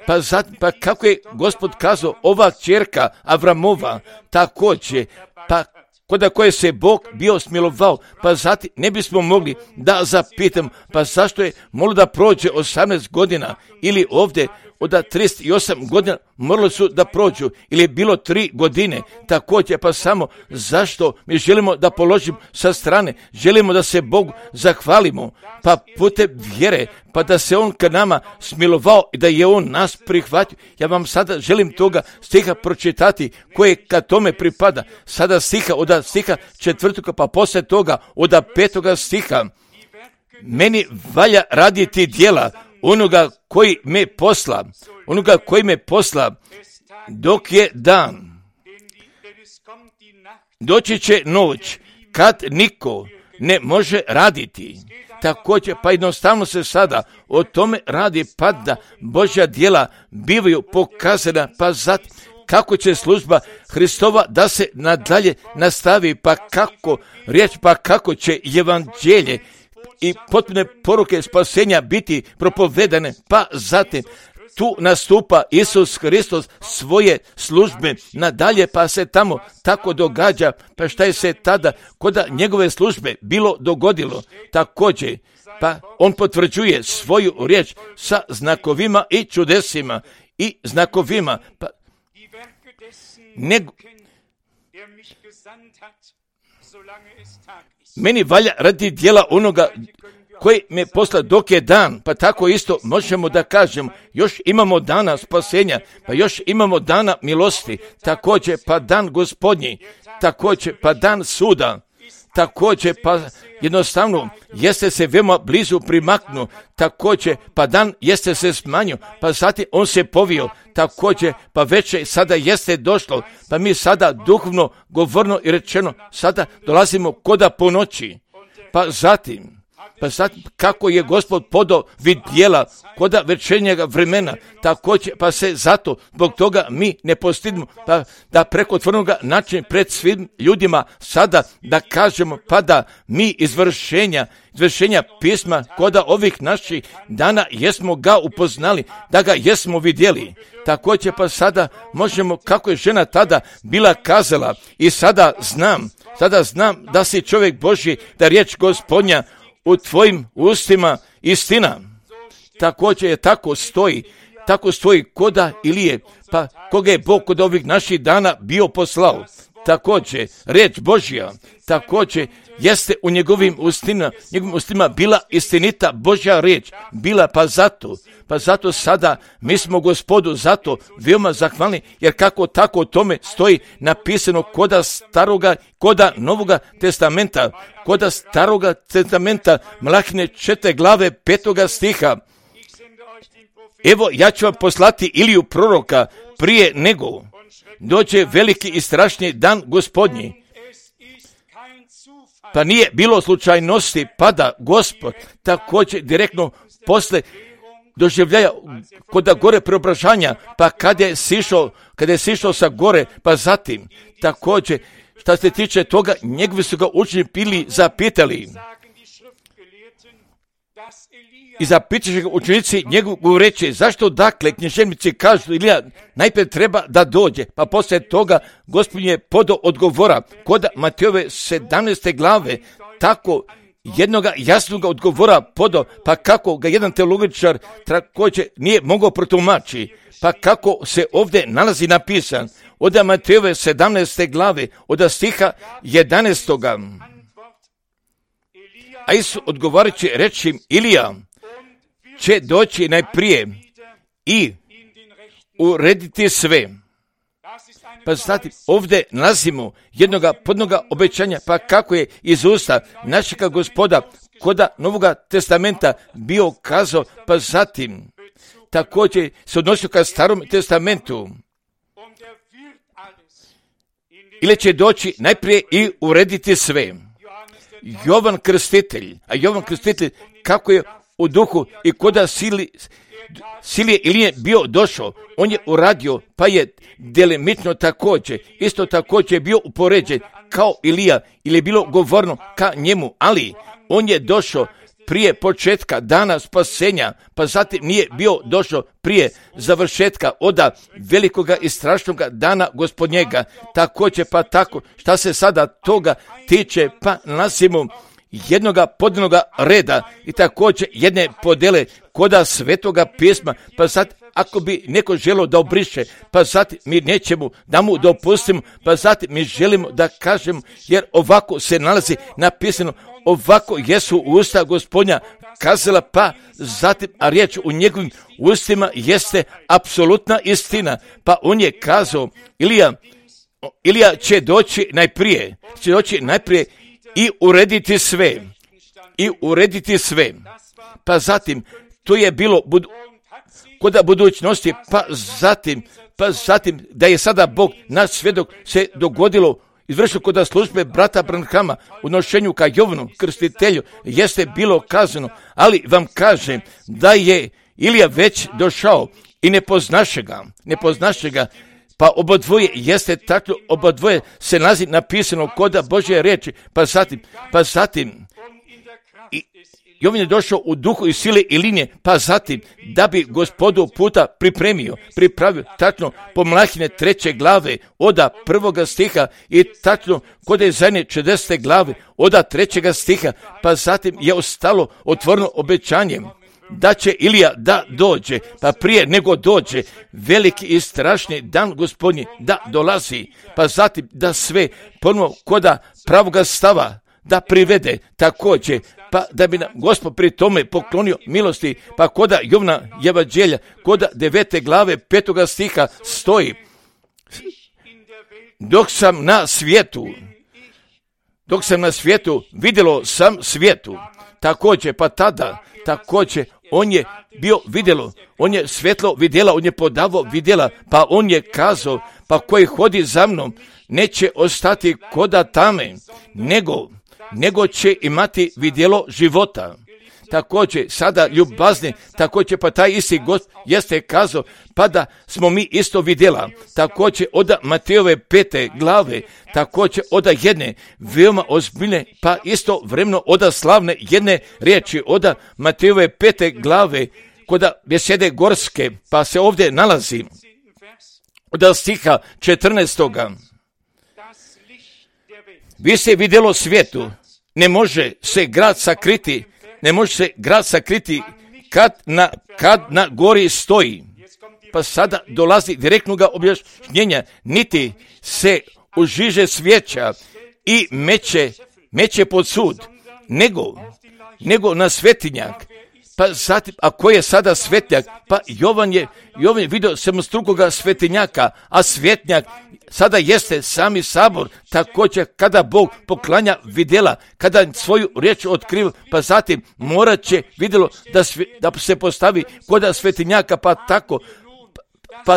Pa zatim, pa kako je Gospod kazao, ova kćerka Avramova, također, pa koda koje se Bog bio smilovao, pa zatim ne bismo mogli da zapitam, pa zašto je moralo da prođe 18 godina, ili ovdje od 38 godina morali su da prođu, ili je bilo 3 godine, također, pa samo zašto mi želimo da položimo sa strane, želimo da se Bogu zahvalimo, pa putem vjere, pa da se On ka nama smilovao i da je On nas prihvatio. Ja vam sada želim toga stiha pročitati koje ka tome pripada. Sada stiha od stiha 4. pa poslije toga od 5. stiha. Meni valja raditi djela onoga koji me posla, dok je dan. Doći će noć kad niko ne može raditi. Također, pa jednostavno se sada o tome radi, pa da Božja djela bivaju pokazana, pa zatim kako će služba Hristova da se nadalje nastavi, pa kako riječ, pa kako će evanđelje i potpune poruke spasenja biti propovedane, pa zatim tu nastupa Isus Hristos svoje službe nadalje, pa se tamo tako događa, pa šta je se tada kod njegove službe bilo dogodilo, također, pa on potvrđuje svoju riječ sa znakovima i čudesima i znakovima, pa Meni valja radi djela onoga koji me posla dok je dan, pa tako isto možemo da kažemo, još imamo dana spasenja, pa još imamo dana milosti, također pa dan Gospodnji, također pa dan suda, također pa jednostavno jeste se veoma blizu primaknu, također pa dan jeste se smanjio, pa zatim on se povio, također pa večer sada jeste došlo, pa mi sada duhovno, govorno i rečeno sada dolazimo koda po noći, pa zatim kako je Gospod podao vid djela koda večernjega vremena, također pa se zato zbog toga mi ne postidimo, pa da preko otvorenoga načina pred svim ljudima sada da kažemo pa da mi izvršenja pisma koda ovih naših dana jesmo ga upoznali, da ga jesmo vidjeli. Također pa sada možemo, kako je žena tada bila kazala, i sada znam da si čovjek Božji, da riječ Gospodnja u tvojim ustima istina. Također je tako stoji koda Ilije, pa koga je Bog kod ovih naših dana bio poslao. Također, riječ Božja, također jeste u njegovim ustima bila istinita Božja riječ, bila pa zato sada mi smo Gospodu zato veoma zahvalni, jer kako tako o tome stoji napisano koda staroga, koda novoga testamenta, koda staroga testamenta, Malahine 4. glave 5. stiha. Evo, ja ću vam poslati Iliju proroka prije nego dođe veliki i strašni dan Gospodnji. Pa nije bilo slučajnosti, pa da Gospod također direktno posle doživljaja koda gore preobražanja, pa kada je sišao sa gore, pa zatim također što se tiče toga, njegovi su ga učenici bili zapitali. I zapitaše ga učenici njegovu reći, zašto dakle književnici kažu Ilija najprije treba da dođe, pa poslije toga Gospod je podao odgovora koda Matejove 17. glave, tako jednoga jasnog odgovora podao, pa kako ga jedan teologičar također nije mogao protumačiti, pa kako se ovdje nalazi napisan od Matejove 17. glave, od stiha 11. A Isus odgovarajući reći Ilija će doći najprije i urediti sve. Pa znate, ovdje nalazimo jednoga podnoga obećanja, pa kako je iz usta našega Gospoda koda Novoga testamenta bio kazao, pa zatim također se odnosio ka Starom testamentu. Ili će doći najprije i urediti sve. Jovan Krstitelj kako je u duhu i koda Silije Ilije bio došao, on je uradio, pa je delimično također, isto također bio upoređen kao Ilija, ili je bilo govorno ka njemu, ali on je došao prije početka dana spasenja, pa zatim nije bio došao prije završetka oda velikoga i strašnoga dana Gospodnjega. Također pa tako, šta se sada toga tiče, pa nalazimo jednoga podnoga reda i također jedne podele koda Svetoga pisma, pa sad ako bi neko želio da obriše, pa zatim mi nećemo da mu dopustimo, pa zatim mi želimo da kažemo, jer ovako se nalazi napisano, ovako jesu usta Gospodnja kazala, pa zatim, a riječ u njegovim ustima jeste apsolutna istina, pa on je kazao, Ilija će doći najprije i urediti sve. Pa zatim, to je bilo koda budućnosti, pa zatim da je sada Bog naš svjedok se dogodilo, izvršilo koda službe brata Branhama u nošenju ka Jovanu Krstitelju, jeste bilo kazano, ali vam kažem da je Ilija već došao i ne poznaše ga, pa obodvoje jeste tako, obodvoje se nalazi napisano koda Božje riječi, pa zatim Jovan je došao u duhu i sile i linije, pa zatim da bi Gospodu puta pripravio tačno po Malahine 3. glave oda 1. stiha i tačno kod Izaije 40. glave oda 3. stiha, pa zatim je ostalo otvoreno obećanje. da će Ilija da dođe, pa prije nego dođe veliki i strašni dan Gospodnji da dolazi, pa zatim da sve ponovo koda pravoga stava da privede također, pa da bi nam Gospod pri tome poklonio milosti, pa koda Jovna evanđelja, koda 9. glave 5. stiha stoji: dok sam na svijetu, vidjelo sam svijetu. Također, pa tada, također, on je bio vidjelo, on je svjetlo vidjela, on je podavao vidjela, pa on je kazao, pa koji hodi za mnom, neće ostati koda tame, nego će imati vidjelo života. Također, sada ljubazni, također, pa taj isti Gost jeste kazao, pa da smo mi isto vidjela. Također, od Matejove 5. glave, također, od jedne veoma ozbiljne, pa isto vremeno od slavne jedne riječi, od Matejove 5. glave, kod besede gorske, pa se ovdje nalazi od stiha 14. Vi se vidjelo svijetu, ne može se grad sakriti kad na gori stoji. Pa sada dolazi direktnog objašnjenja, niti se užiže svijeća i meće pod sud, nego na svetinjak. Pa zatim, a ko je sada svetnjak? Pa Jovan je vidio sedmostrukoga svetinjaka, a svetnjak sada jeste sami sabor. Također, kada Bog poklanja vidjela, kada svoju riječ otkriva, pa zatim morat će vidjelo da se postavi koda svetinjaka, pa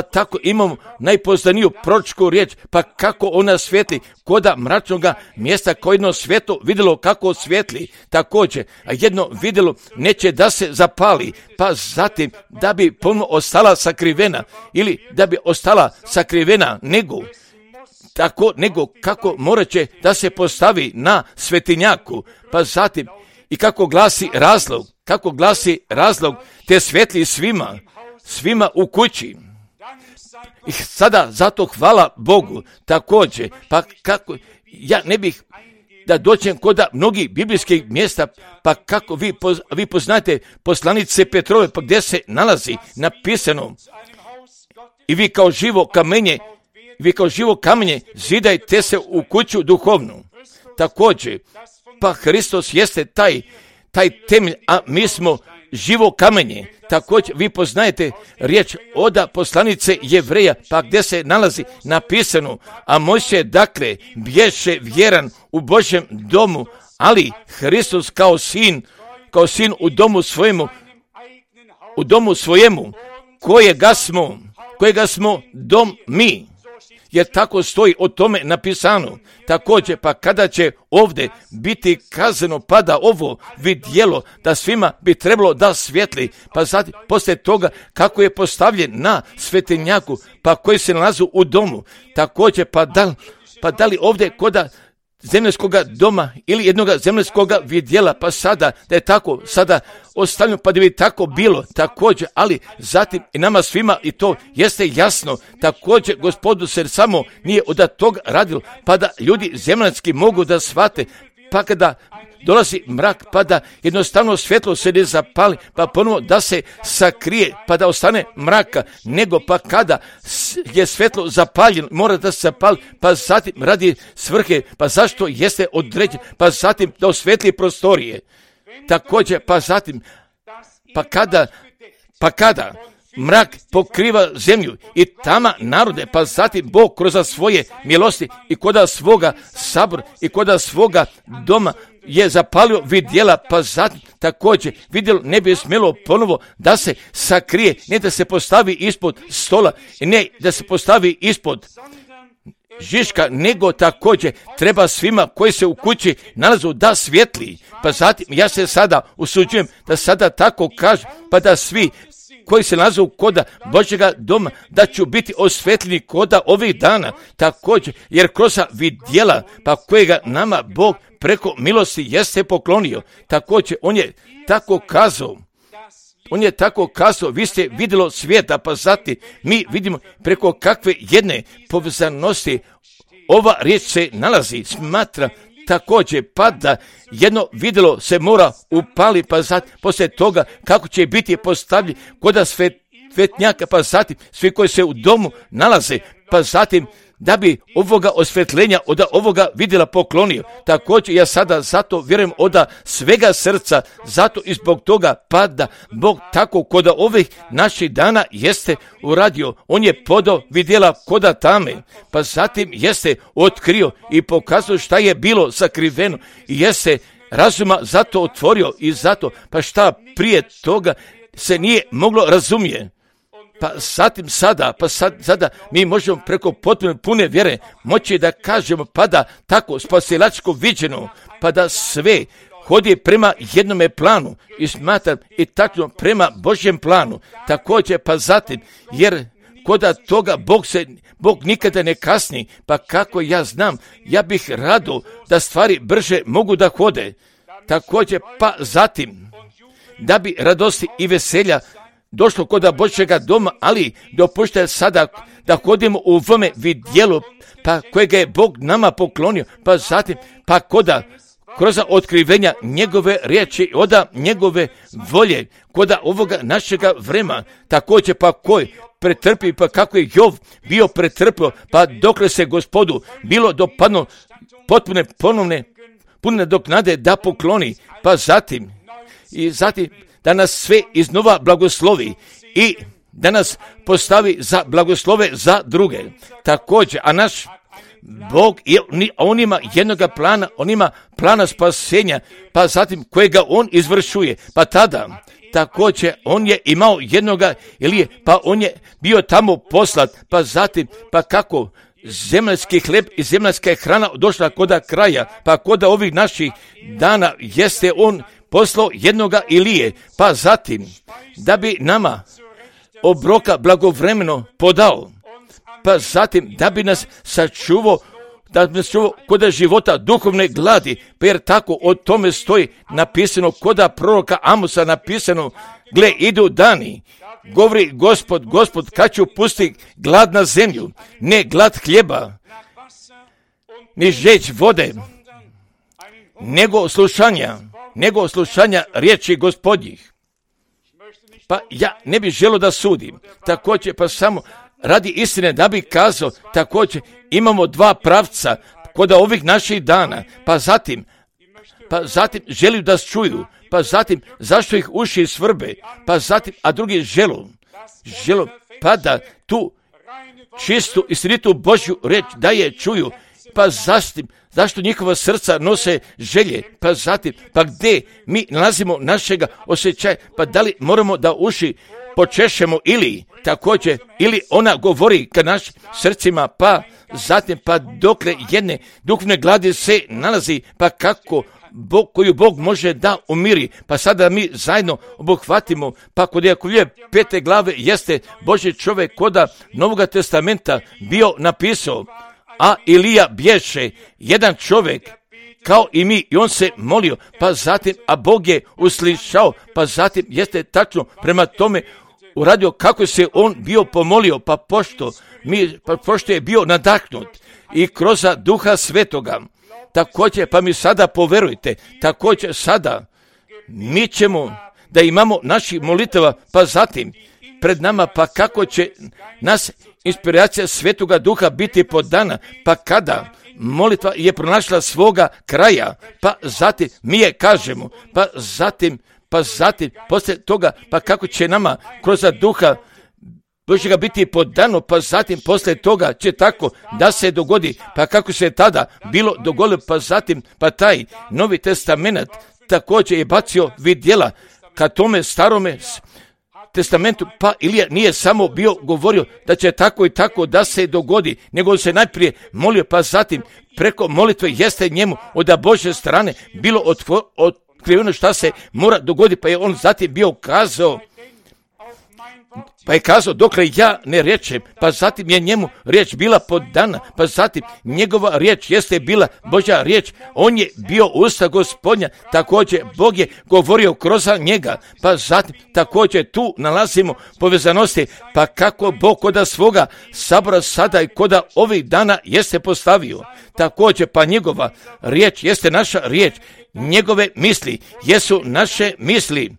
tako imamo najpoznaniju proročku riječ, pa kako ona svijetli koda mračnoga mjesta, koje jedno svjetlo vidjelo kako svijetli. Također, a jedno vidjelo neće da se zapali, pa zatim da bi ponovno ostala sakrivena, ili da bi ostala sakrivena, nego kako morat će da se postavi na svetinjaku, pa zatim i kako glasi razlog, te svijetli svima u kući. I sada zato hvala Bogu. Također, pa kako ja ne bih da dođem kod mnogih biblijskih mjesta, pa kako vi poznate poslanice Petrove, pa gdje se nalazi napisano: i vi kao živo kamenje zidajte se u kuću duhovnu. Također, pa Hristos jeste taj temelj, a mi smo živo kamenje. Također, vi poznajete riječ od poslanice Jevreja, pa gdje se nalazi napisano: a Mojsije dakle bješe vjeran u Božjem domu, ali Hristos kao sin u domu svojemu, kojega smo dom mi. Jer tako stoji o tome napisano. Također, pa kada će ovdje biti kazano, pada ovo vidjelo da svima bi trebalo da svijetli, pa zatim poslije toga kako je postavljen na svetinjaku, pa koji se nalazi u domu. Također, pa da li ovdje koda zemljskoga doma ili jednoga zemljskoga vidjela, pa sada da je tako sada ostavljeno, pa da bi tako bilo. Također, ali zatim i nama svima i to jeste jasno. Također, Gospodu se samo nije od toga radilo, pa da ljudi zemljanski mogu da shvate, pa kada dolazi mrak, pa da jednostavno svjetlo se ne zapali, pa ponovo da se sakrije, pa da ostane mraka, nego pa kada je svjetlo zapaljeno, mora da se zapali, pa zatim radi svrhe, pa zašto jeste određen, pa zatim da osvetli prostorije. Također, pa zatim, pa kada mrak pokriva zemlju i tama narode, pa zatim Bog kroz svoje milosti i koda svoga sabora i koda svoga doma je zapalio vidjela, pa zatim također vidjelo ne bi smjelo ponovo da se sakrije, ne da se postavi ispod stola i ne da se postavi ispod žiška, nego također treba svima koji se u kući nalazu da svijetli. Pa zatim ja se sada usuđujem da sada tako kažem, pa da svi koji se nalaze koda Božjega doma, da ću biti osvetljeni koda ovih dana, također, jer kroz vidjela, pa kojega nama Bog preko milosti jeste poklonio, također, on je tako kazao, vi ste vidjelo svijeta, pa zatim mi vidimo preko kakve jedne povezanosti ova riječ se nalazi, smatra također, pa da jedno vidjelo se mora upali, pa zatim poslije toga kako će biti postavljen kod svetnjaka, pa zatim svi koji se u domu nalaze, pa zatim da bi ovoga osvjetljenja od ovoga vidjela poklonio. Također ja sada zato vjerujem od svega srca, zato i zbog toga pa da Bog tako kod ovih naših dana jeste uradio. On je podao vidjela koda tame, pa zatim jeste otkrio i pokazao šta je bilo sakriveno i jeste razuma zato otvorio i zato pa šta prije toga se nije moglo razumjeti. Pa zatim sada mi možemo preko potpuno pune vjere moći da kažemo pa da tako spasilačko viđeno, pa da sve hodi prema jednome planu i smatram i tačno prema Božjem planu. Također pa zatim, jer koda toga Bog nikada ne kasni, pa kako ja znam, ja bih rado da stvari brže mogu da hode. Također pa zatim, da bi radosti i veselja došlo kod Božjega doma, ali dopušta sada da hodimo u ovome vidjelu, pa kojega je Bog nama poklonio, pa zatim, pa kroz otkrivenja njegove riječi, oda njegove volje, kod ovoga našega vremena, također pa koji pretrpi, pa kako je Jov bio pretrpio, pa dokle se Gospodu bilo dopadno potpune pune doknade da pokloni, pa zatim da nas sve iznova blagoslovi i da nas postavi za blagoslove za druge. Također, a naš Bog, on ima jednoga plana, on ima plana spasenja, pa zatim kojega on izvršuje, pa tada također on je imao jednoga Elije, pa on je bio tamo poslat, pa zatim, pa kako zemaljski hleb i zemaljska hrana došla koda kraja, pa koda ovih naših dana jeste on poslao jednoga Ilije, pa zatim da bi nama obroka blagovremeno podao, pa zatim da bi nas sačuvao, da bi nas čuvao koda života duhovne gladi, pa jer tako o tome stoji napisano koda proroka Amosa napisano, gle idu dani, govori Gospod kad ću pustiti glad na zemlju, ne glad hljeba, ni žeć vode, nego slušanja riječi Gospodnjih. Pa ja ne bih želio da sudim, također pa samo radi istine da bih kazao, također imamo dva pravca kod ovih naših dana, pa zatim želi da čuju, pa zatim zašto ih uši svrbe, pa zatim, a drugi želu, pa da tu čistu istinitu Božju reč da je čuju, pa zašto njihova srca nose želje, pa zatim, pa gdje mi nalazimo našega osjećaja, pa da li moramo da uši počešemo ili također, ili ona govori ka našim srcima, pa zatim, pa dokle jedne duhovne gladi se nalazi, pa kako koju Bog može da umiri, pa sada mi zajedno obuhvatimo, pa kod Jakovljeve 5. glave jeste Božji čovjek koda Novoga testamenta bio napisao, a Ilija bješe jedan čovjek kao i mi i on se molio, pa zatim, a Bog je uslišao, pa zatim jeste tačno prema tome uradio kako se on bio pomolio, pa pošto je bio nadahnut i kroz Duha Svetoga. Također, pa mi sada poverujte, također sada mi ćemo da imamo naših molitava, pa zatim pred nama, pa kako će nas inspiracija Svetoga Duha biti podana, pa kada molitva je pronašla svoga kraja, pa zatim mi je kažemo, pa zatim poslije toga, pa kako će nama kroz Duha Božjega biti podano, pa zatim poslije toga će tako da se dogodi, pa kako se tada bilo dogodilo, pa zatim, pa taj Novi testament također je bacio vidjela ka tome starome testamentu, pa Ilija nije samo bio govorio da će tako i tako da se dogodi, nego se najprije molio, pa zatim preko molitve jeste njemu od Božje strane bilo otkriveno šta se mora dogoditi, pa je on zatim bio kazao, Pa je kazao, dokle ja ne rečem, pa zatim je njemu riječ bila podana, pa zatim njegova riječ jeste bila Božja riječ, on je bio usta Gospodnja, također Bog je govorio kroz njega, pa zatim također tu nalazimo povezanosti, pa kako Bog koda svoga sabora sada i koda ovih dana jeste postavio, također pa njegova riječ jeste naša riječ, njegove misli jesu naše misli.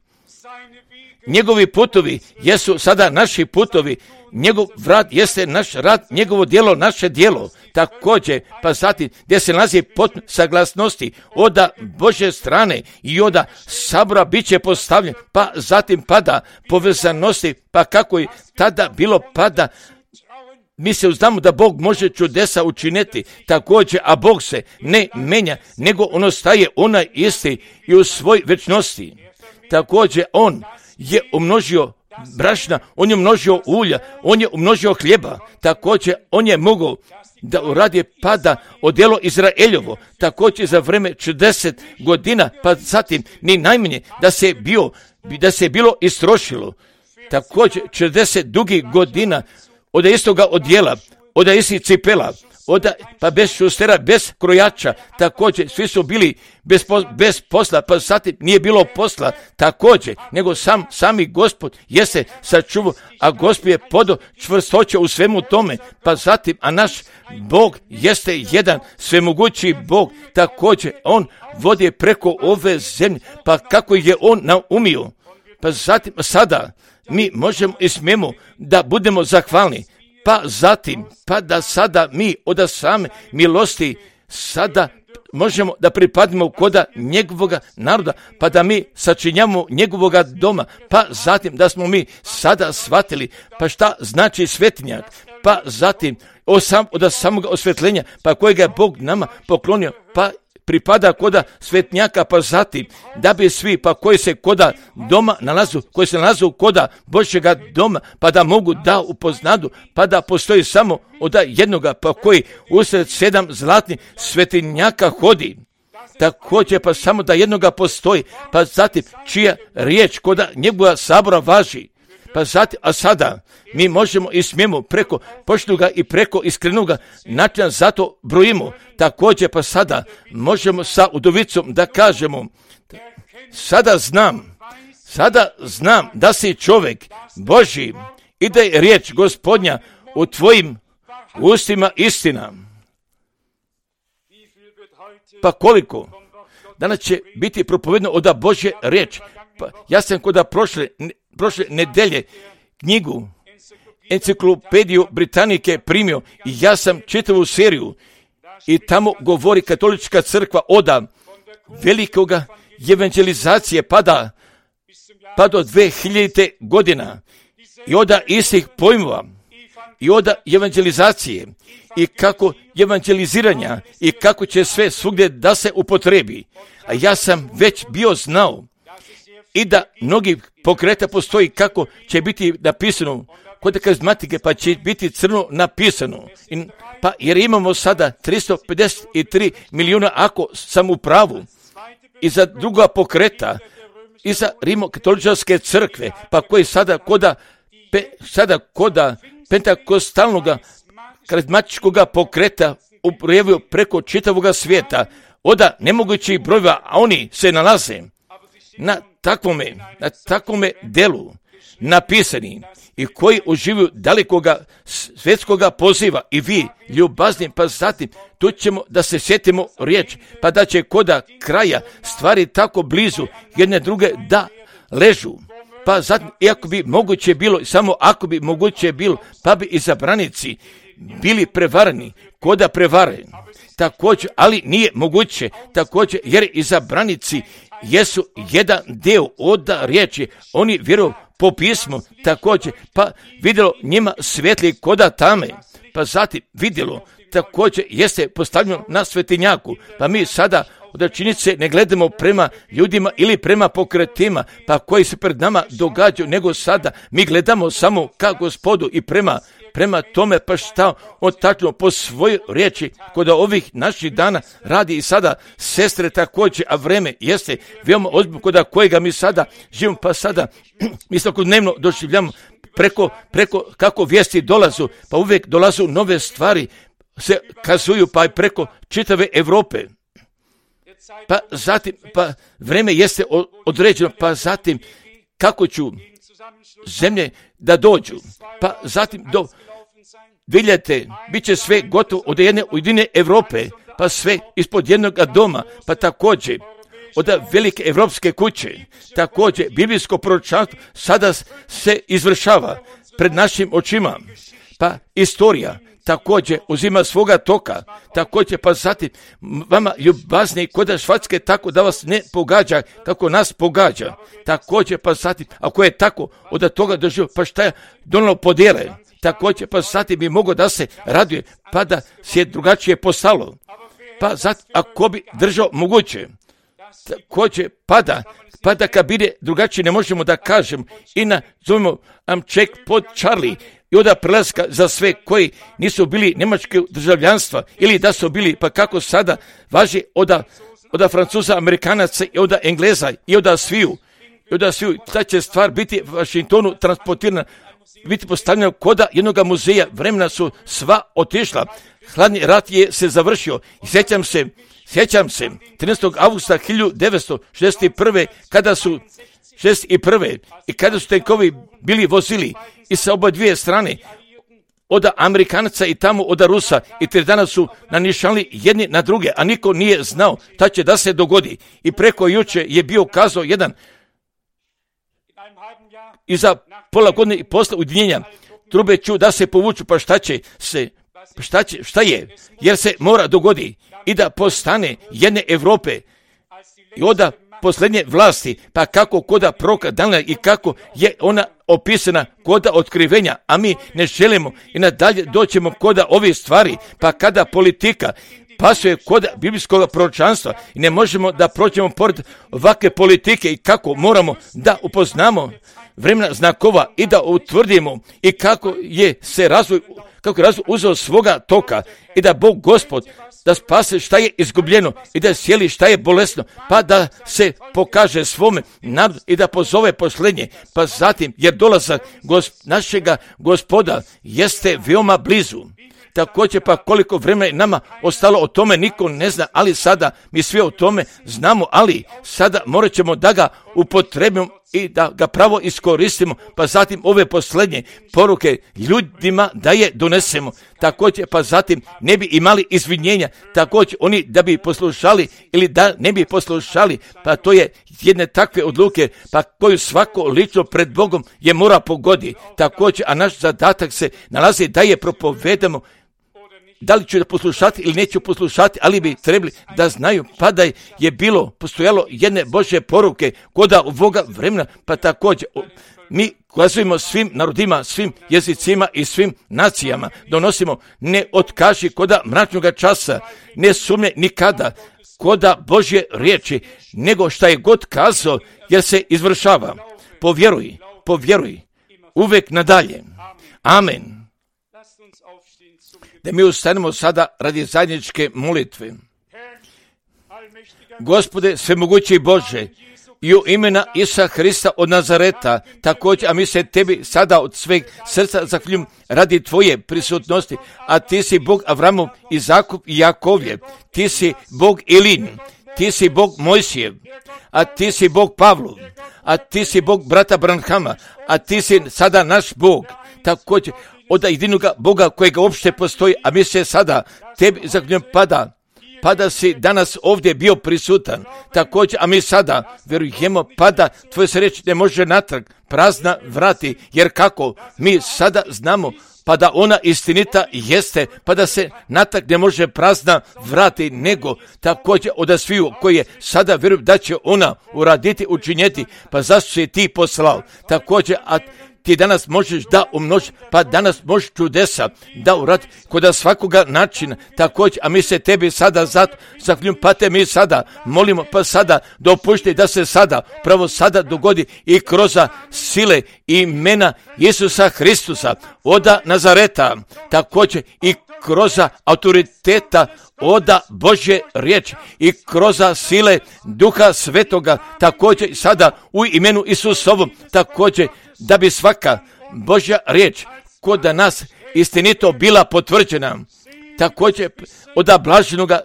Njegovi putovi jesu sada naši putovi, njegov rad jeste naš rad, njegovo djelo naše djelo. Također, pa zatim gdje se nalazi potpun saglasnosti od Božje strane i od sabora bit će postavljen, pa zatim pada povezanosti, pa kako je tada bilo pada. Mi se uznamo da Bog može čudesa učiniti također, a Bog se ne menja, nego on ostaje onaj isti i u svoj večnosti. Također, on je umnožio brašna, on je umnožio ulja, on je umnožio hljeba, također on je mogao da uradi pada odjelo Izraeljovo, također za vreme 40 godina, pa zatim ni najmanje da se bilo istrošilo, također 40 dugih godina od istoga odjela, od istih cipela, pa bez šustera, bez krojača, također svi su bili bez posla, pa zatim nije bilo posla također, nego sami Gospod jeste sačuvao, a Gospod je podao čvrstoće u svemu tome, pa zatim, a naš Bog jeste jedan svemogući Bog, također on vodi preko ove zemlje, pa kako je on naumio, pa zatim sada mi možemo i smijemo da budemo zahvalni, pa zatim, pa da sada mi od same milosti sada možemo da pripadimo koda njegovoga naroda, pa da mi sačinjamo njegovoga doma, pa zatim da smo mi sada shvatili, pa šta znači svetinjak, pa zatim od samoga osvetljenja, pa kojega je Bog nama poklonio, pa pripada koda svetnjaka, pa zatim da bi svi, pa koji se koda doma nalazu, koji se nalazu koda Božjega doma, pa da mogu da upoznadu, pa da postoji samo od jednoga, pa koji usred 7 zlatnih svetinjaka hodi. Također pa samo da jednoga postoji, pa zatim čija riječ koda njegova sabora važi. Pa zatim, a sada mi možemo i smijemo preko poštenoga i preko iskrenoga načina zato brojimo. Također pa sada možemo sa udovicom da kažemo, sada znam da si čovjek Božji i da je riječ Gospodnja u tvojim ustima istina. Pa koliko? Danas će biti propovedno od Božje riječ. Pa ja sam kod prošle nedelje knjigu Enciklopediju Britanike primio i ja sam čitavu seriju i tamo govori katolička crkva od velikoga evangelizacije pa do 2000. godina i od istih pojmova i od evangelizacije i kako evangeliziranja i kako će sve svugdje da se upotrebi. A ja sam već bio znao i da mnogi pokreta postoji kako će biti napisano kod karizmatike, pa će biti crno napisano. Pa jer imamo sada 353 milijuna, ako sam u pravu, i za druga pokreta, i za rimokatoličke crkve, pa koji sada koda pentakostalnog karizmatičkog pokreta uprejavio preko čitavog svijeta, od nemogućih brojeva, a oni se nalaze na takvome delu napisani i koji uživaju dalikoga svjetskoga poziva i vi ljubazni, pa zatim tu ćemo da se sjetimo riječ, pa da će koda kraja stvari tako blizu jedne druge da ležu. Pa zatim, iako bi moguće bilo, samo ako bi moguće bilo, pa bi izabranici bili prevareni, koda prevare. Također, ali nije moguće, također, jer izabranici jesu jedan dio od riječi, oni vjeruju po pismu, također, pa vidjelo njima svetli koda tame, pa zatim vidjelo, također jeste postavljeno na svetinjaku, pa mi sada od činjenice ne gledamo prema ljudima ili prema pokretima, pa koji se pred nama događaju, nego sada mi gledamo samo ka Gospodu i prema tome, pa šta on tačno po svojoj riječi kod ovih naših dana radi i sada sestre također, a vreme jeste veoma ozbiljno kod kojega mi sada živimo, pa sada mi svakodnevno doživljamo preko kako vijesti dolazu, pa uvijek dolazu nove stvari, se kazuju pa preko čitave Europe. Pa zatim, pa vrijeme jeste određeno, pa zatim kako ću zemlje da dođu, pa zatim vidite, bit će sve gotovo od jedne ujedinjene Europe, pa sve ispod jednog doma, pa također od velike evropske kuće, također biblijsko proročanstvo sada se izvršava pred našim očima, pa istorija također uzima svoga toka, također pa zatim vama ljubazni koda Švatske tako da vas ne pogađa kako nas pogađa, također pa zatim ako je tako od toga doživio, pa šta je donalo podjele, također pa zatim bi mogao da se raduje, pa da se drugačije postalo, pa zatim ako bi držao moguće, također pada kad bide drugačije ne možemo da kažem i nazovimo check pod Charlie i onda prelaska za sve koji nisu bili njemačkog državljanstva ili da su bili, pa kako sada važi od Francuza, Amerikanaca i od Engleza i od sviju. Ta će stvar biti u Washingtonu transportirana, biti postavljena koda jednog muzeja, vremena su sva otišla. Hladni rat je se završio i sjećam se 13. augusta 1961. kada su 61. i kada su tenkovi bili vozili i sa oba dvije strane od Amerikanaca i tamo od Rusa i 3 dana su nanišali jedni na druge, a niko nije znao šta će da se dogodi. I preko juče je bio kazao jedan i za pola godine i posle ujedinjenja trube ću da se povuču, pa šta je, jer se mora dogodi i da postane jedne Europe i onda posljednje vlasti, pa kako koda proroka Danila i kako je ona opisana koda otkrivenja, a mi ne želimo i nadalje doćemo koda ove stvari, pa kada politika pasuje koda biblijskog proročanstva i ne možemo da prođemo pored ovakve politike i kako moramo da upoznamo vremena znakova i da utvrdimo i kako je razvoj uzeo svoga toka i da Bog Gospod da spase šta je izgubljeno i da sjeli šta je bolesno, pa da se pokaže svome narodu i da pozove posljednje, pa zatim jer dolazak našega Gospoda jeste veoma blizu. Također pa koliko vremena je nama ostalo o tome niko ne zna, ali sada mi sve o tome znamo, ali sada morat ćemo da ga upotrebimo i da ga pravo iskoristimo, pa zatim ove posljednje poruke ljudima da je donesemo. Također pa zatim ne bi imali izvinjenja, također oni da bi poslušali ili da ne bi poslušali, pa to je jedne takve odluke, pa koju svako lično pred Bogom je mora pogodi. Također, a naš zadatak se nalazi da je propovedamo, da li ću da poslušati ili neću poslušati, ali bi trebali da znaju, pa da je postojalo jedne Božje poruke koda ovoga vremena, pa također mi kazujemo svim narodima, svim jezicima i svim nacijama, donosimo ne otkaži koda mračnog časa, ne sumnje nikada koda Božje riječi, nego šta je god kazao, jer se izvršava. Povjeruj, uvijek nadalje. Amen. Da mi ustanemo sada radi zajedničke molitve. Gospode, svemogući Bože, i u imena Isusa Hrista od Nazareta, također, a mi se tebi sada od sveg srca zahvaljujem radi tvoje prisutnosti, a ti si Bog Avramov, Izakov i Jakovljev, ti si Bog Ilin, ti si Bog Mojsijev, a ti si Bog Pavlov, a ti si Bog brata Branhama, a ti si sada naš Bog, također, od jedinog Boga kojega uopšte postoji, a mi se sada tebi zahvaljujem pa da si danas ovdje bio prisutan, također, a mi sada vjerujemo pa da tvoje se reći ne može natrag prazna vrati, jer kako mi sada znamo pa da ona istinita jeste, pa da se natrag ne može prazna vrati, nego također od sviju koji je sada vjerujem da će ona uraditi, učinjeti, pa zašto si ti poslao, također, a ti danas možeš da umnožiš, pa danas možeš čudesa da uradi kod svakoga načina, također, a mi se tebi sada zato zahvaljujemo, pa te mi sada molimo, pa sada dopušti da se sada, pravo sada dogodi i kroz sile i imena Isusa Hristusa od Nazareta, također i kroz autoriteta od Božje riječi i kroz sile Duha Svetoga, također sada u imenu Isusovom, također da bi svaka Božja riječ kod nas istinito bila potvrđena. Također od blaženoga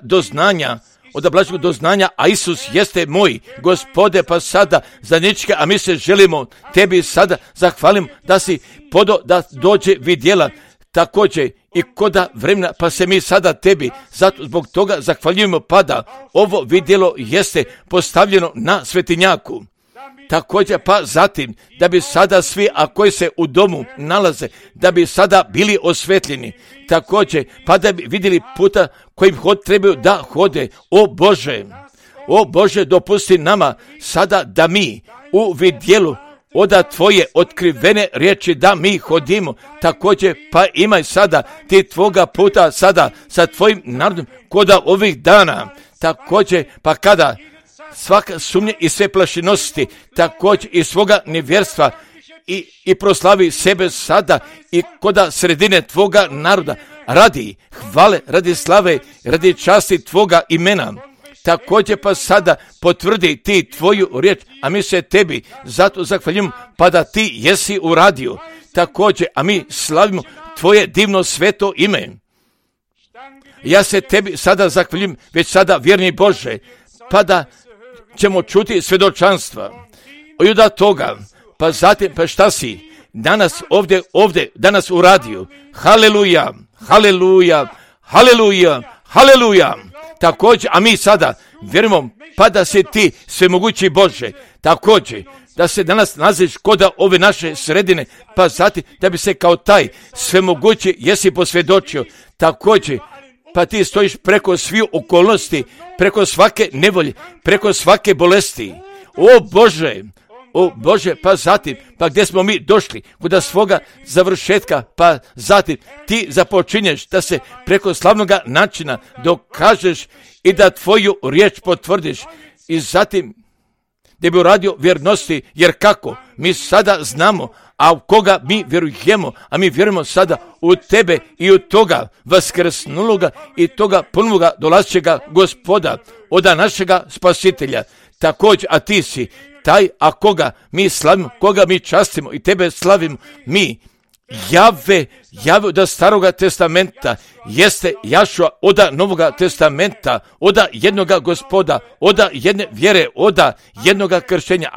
doznanja, a Isus jeste moj Gospode, pa sada zadnjičke, a mi se želimo tebi sada zahvalim da si podo da dođe vidjela također i koda vremena, pa se mi sada tebi zato zbog toga zahvaljujemo, pa da ovo vidjelo jeste postavljeno na svetinjaku. Također pa zatim da bi sada svi, a koji se u domu nalaze, da bi sada bili osvetljeni. Također pa da bi vidjeli puta kojim trebaju da hode. O Bože, dopusti nama sada da mi u vidjelu od tvoje otkrivene riječi da mi hodimo. Također pa imaj sada ti tvoga puta sada sa tvojim narodom koda ovih dana. Također pa kada svaka sumnja i sve plašinosti, također i svoga nevjerstva i proslavi sebe sada i koda sredine tvoga naroda, radi hvale, radi slave, radi časti tvoga imena. Također pa sada potvrdi ti tvoju riječ, a mi se tebi zato zahvaljujemo, pa da ti jesi uradio. Također, a mi slavimo tvoje divno sveto ime. Ja se tebi sada zahvaljujem, već sada vjerni Bože, pa da ćemo čuti svjedočanstva od toga, pa zatim pa šta si danas ovdje danas uradio. Haleluja, haleluja, haleluja, haleluja. Također, a mi sada vjerujemo, pa da si ti svemogući Bože, također da se danas nalaziš kod ove naše sredine, pa zatim da bi se kao taj svemogući jesi posvjedočio. Također pa ti stojiš preko svih okolnosti, preko svake nevolje, preko svake bolesti. O Bože, pa zatim, pa gdje smo mi došli, kod svoga završetka, pa zatim ti započinješ da se preko slavnoga načina dokažeš i da tvoju riječ potvrdiš i zatim da bi uradio vjernosti, jer kako? Mi sada znamo, a u koga mi vjerujemo, a mi vjerujemo sada u tebe i u toga vaskrsnuloga i toga ponovoga dolazećega Gospoda, od našega spasitelja. Također, a ti si taj, a koga mi slavimo, koga mi častimo i tebe slavimo, mi Jave od staroga testamenta jeste Jašua od novoga testamenta, od jednoga Gospoda, od jedne vjere, od jednoga krštenja.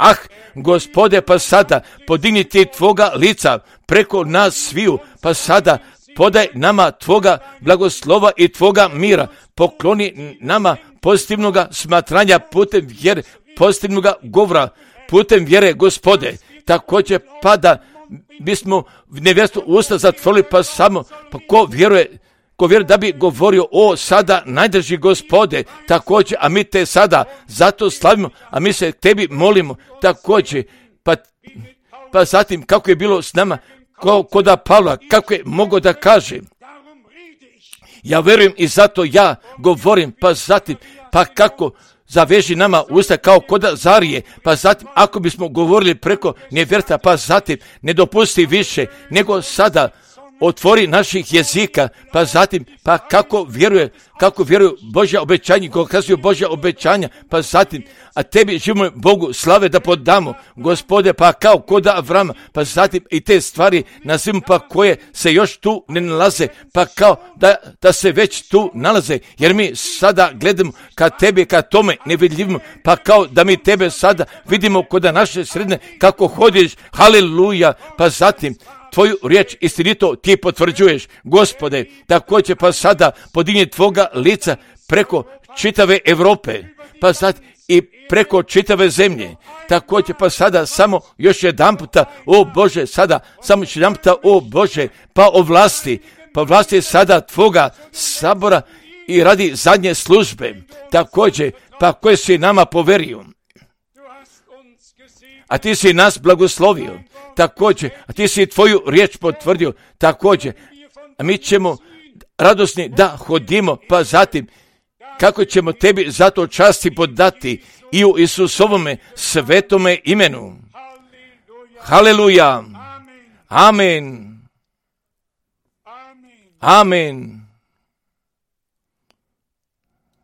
Gospode, pa sada podigni ti tvoga lica preko nas sviju, pa sada podaj nama tvoga blagoslova i tvoga mira, pokloni nama pozitivnoga smatranja putem vjere, pozitivnoga govora putem vjere, Gospode. Također pa da bismo nevjerstvo usta zatvorili, pa samo pa ko vjeruje da bi govorio o sada najdrži Gospode. Također, a mi te sada zato slavimo, a mi se tebi molimo. Također pa zatim kako je bilo s nama kod Pavla, kako je mogao da kaže ja vjerujem i zato ja govorim, pa zatim pa kako zaveži nama usta kao koda Zarije, pa zatim ako bismo govorili preko nevjerstva, pa zatim ne dopusti više nego sada otvori naših jezika, pa zatim pa kako vjeruju Božja obećanja, kako kazuju Božja obećanja, pa zatim a tebi živimo Bogu slave da podamo, Gospode, pa kao koda Avrama, pa zatim i te stvari nazivimo, pa koje se još tu ne nalaze, pa kao da se već tu nalaze, jer mi sada gledamo ka tebi, ka tome nevidljivimo, pa kao da mi tebe sada vidimo kod naše sredine kako hodiš, haleluja, pa zatim tvoju riječ istinito ti potvrđuješ, Gospode. Također pa sada podigni tvoga lica preko čitave Europe, pa sad i preko čitave zemlje. Također pa sada samo još jedan puta, o Bože, sada samo još jedan puta, o Bože, pa vlasti sada tvoga sabora i radi zadnje službe. Također pa koje si nama poverio, a ti si nas blagoslovio. Također, a ti si tvoju riječ potvrdio, također, a mi ćemo radosni da hodimo, pa zatim, kako ćemo tebi zato časti podati i u Isusovome svetome imenu. Haleluja, amen, amen.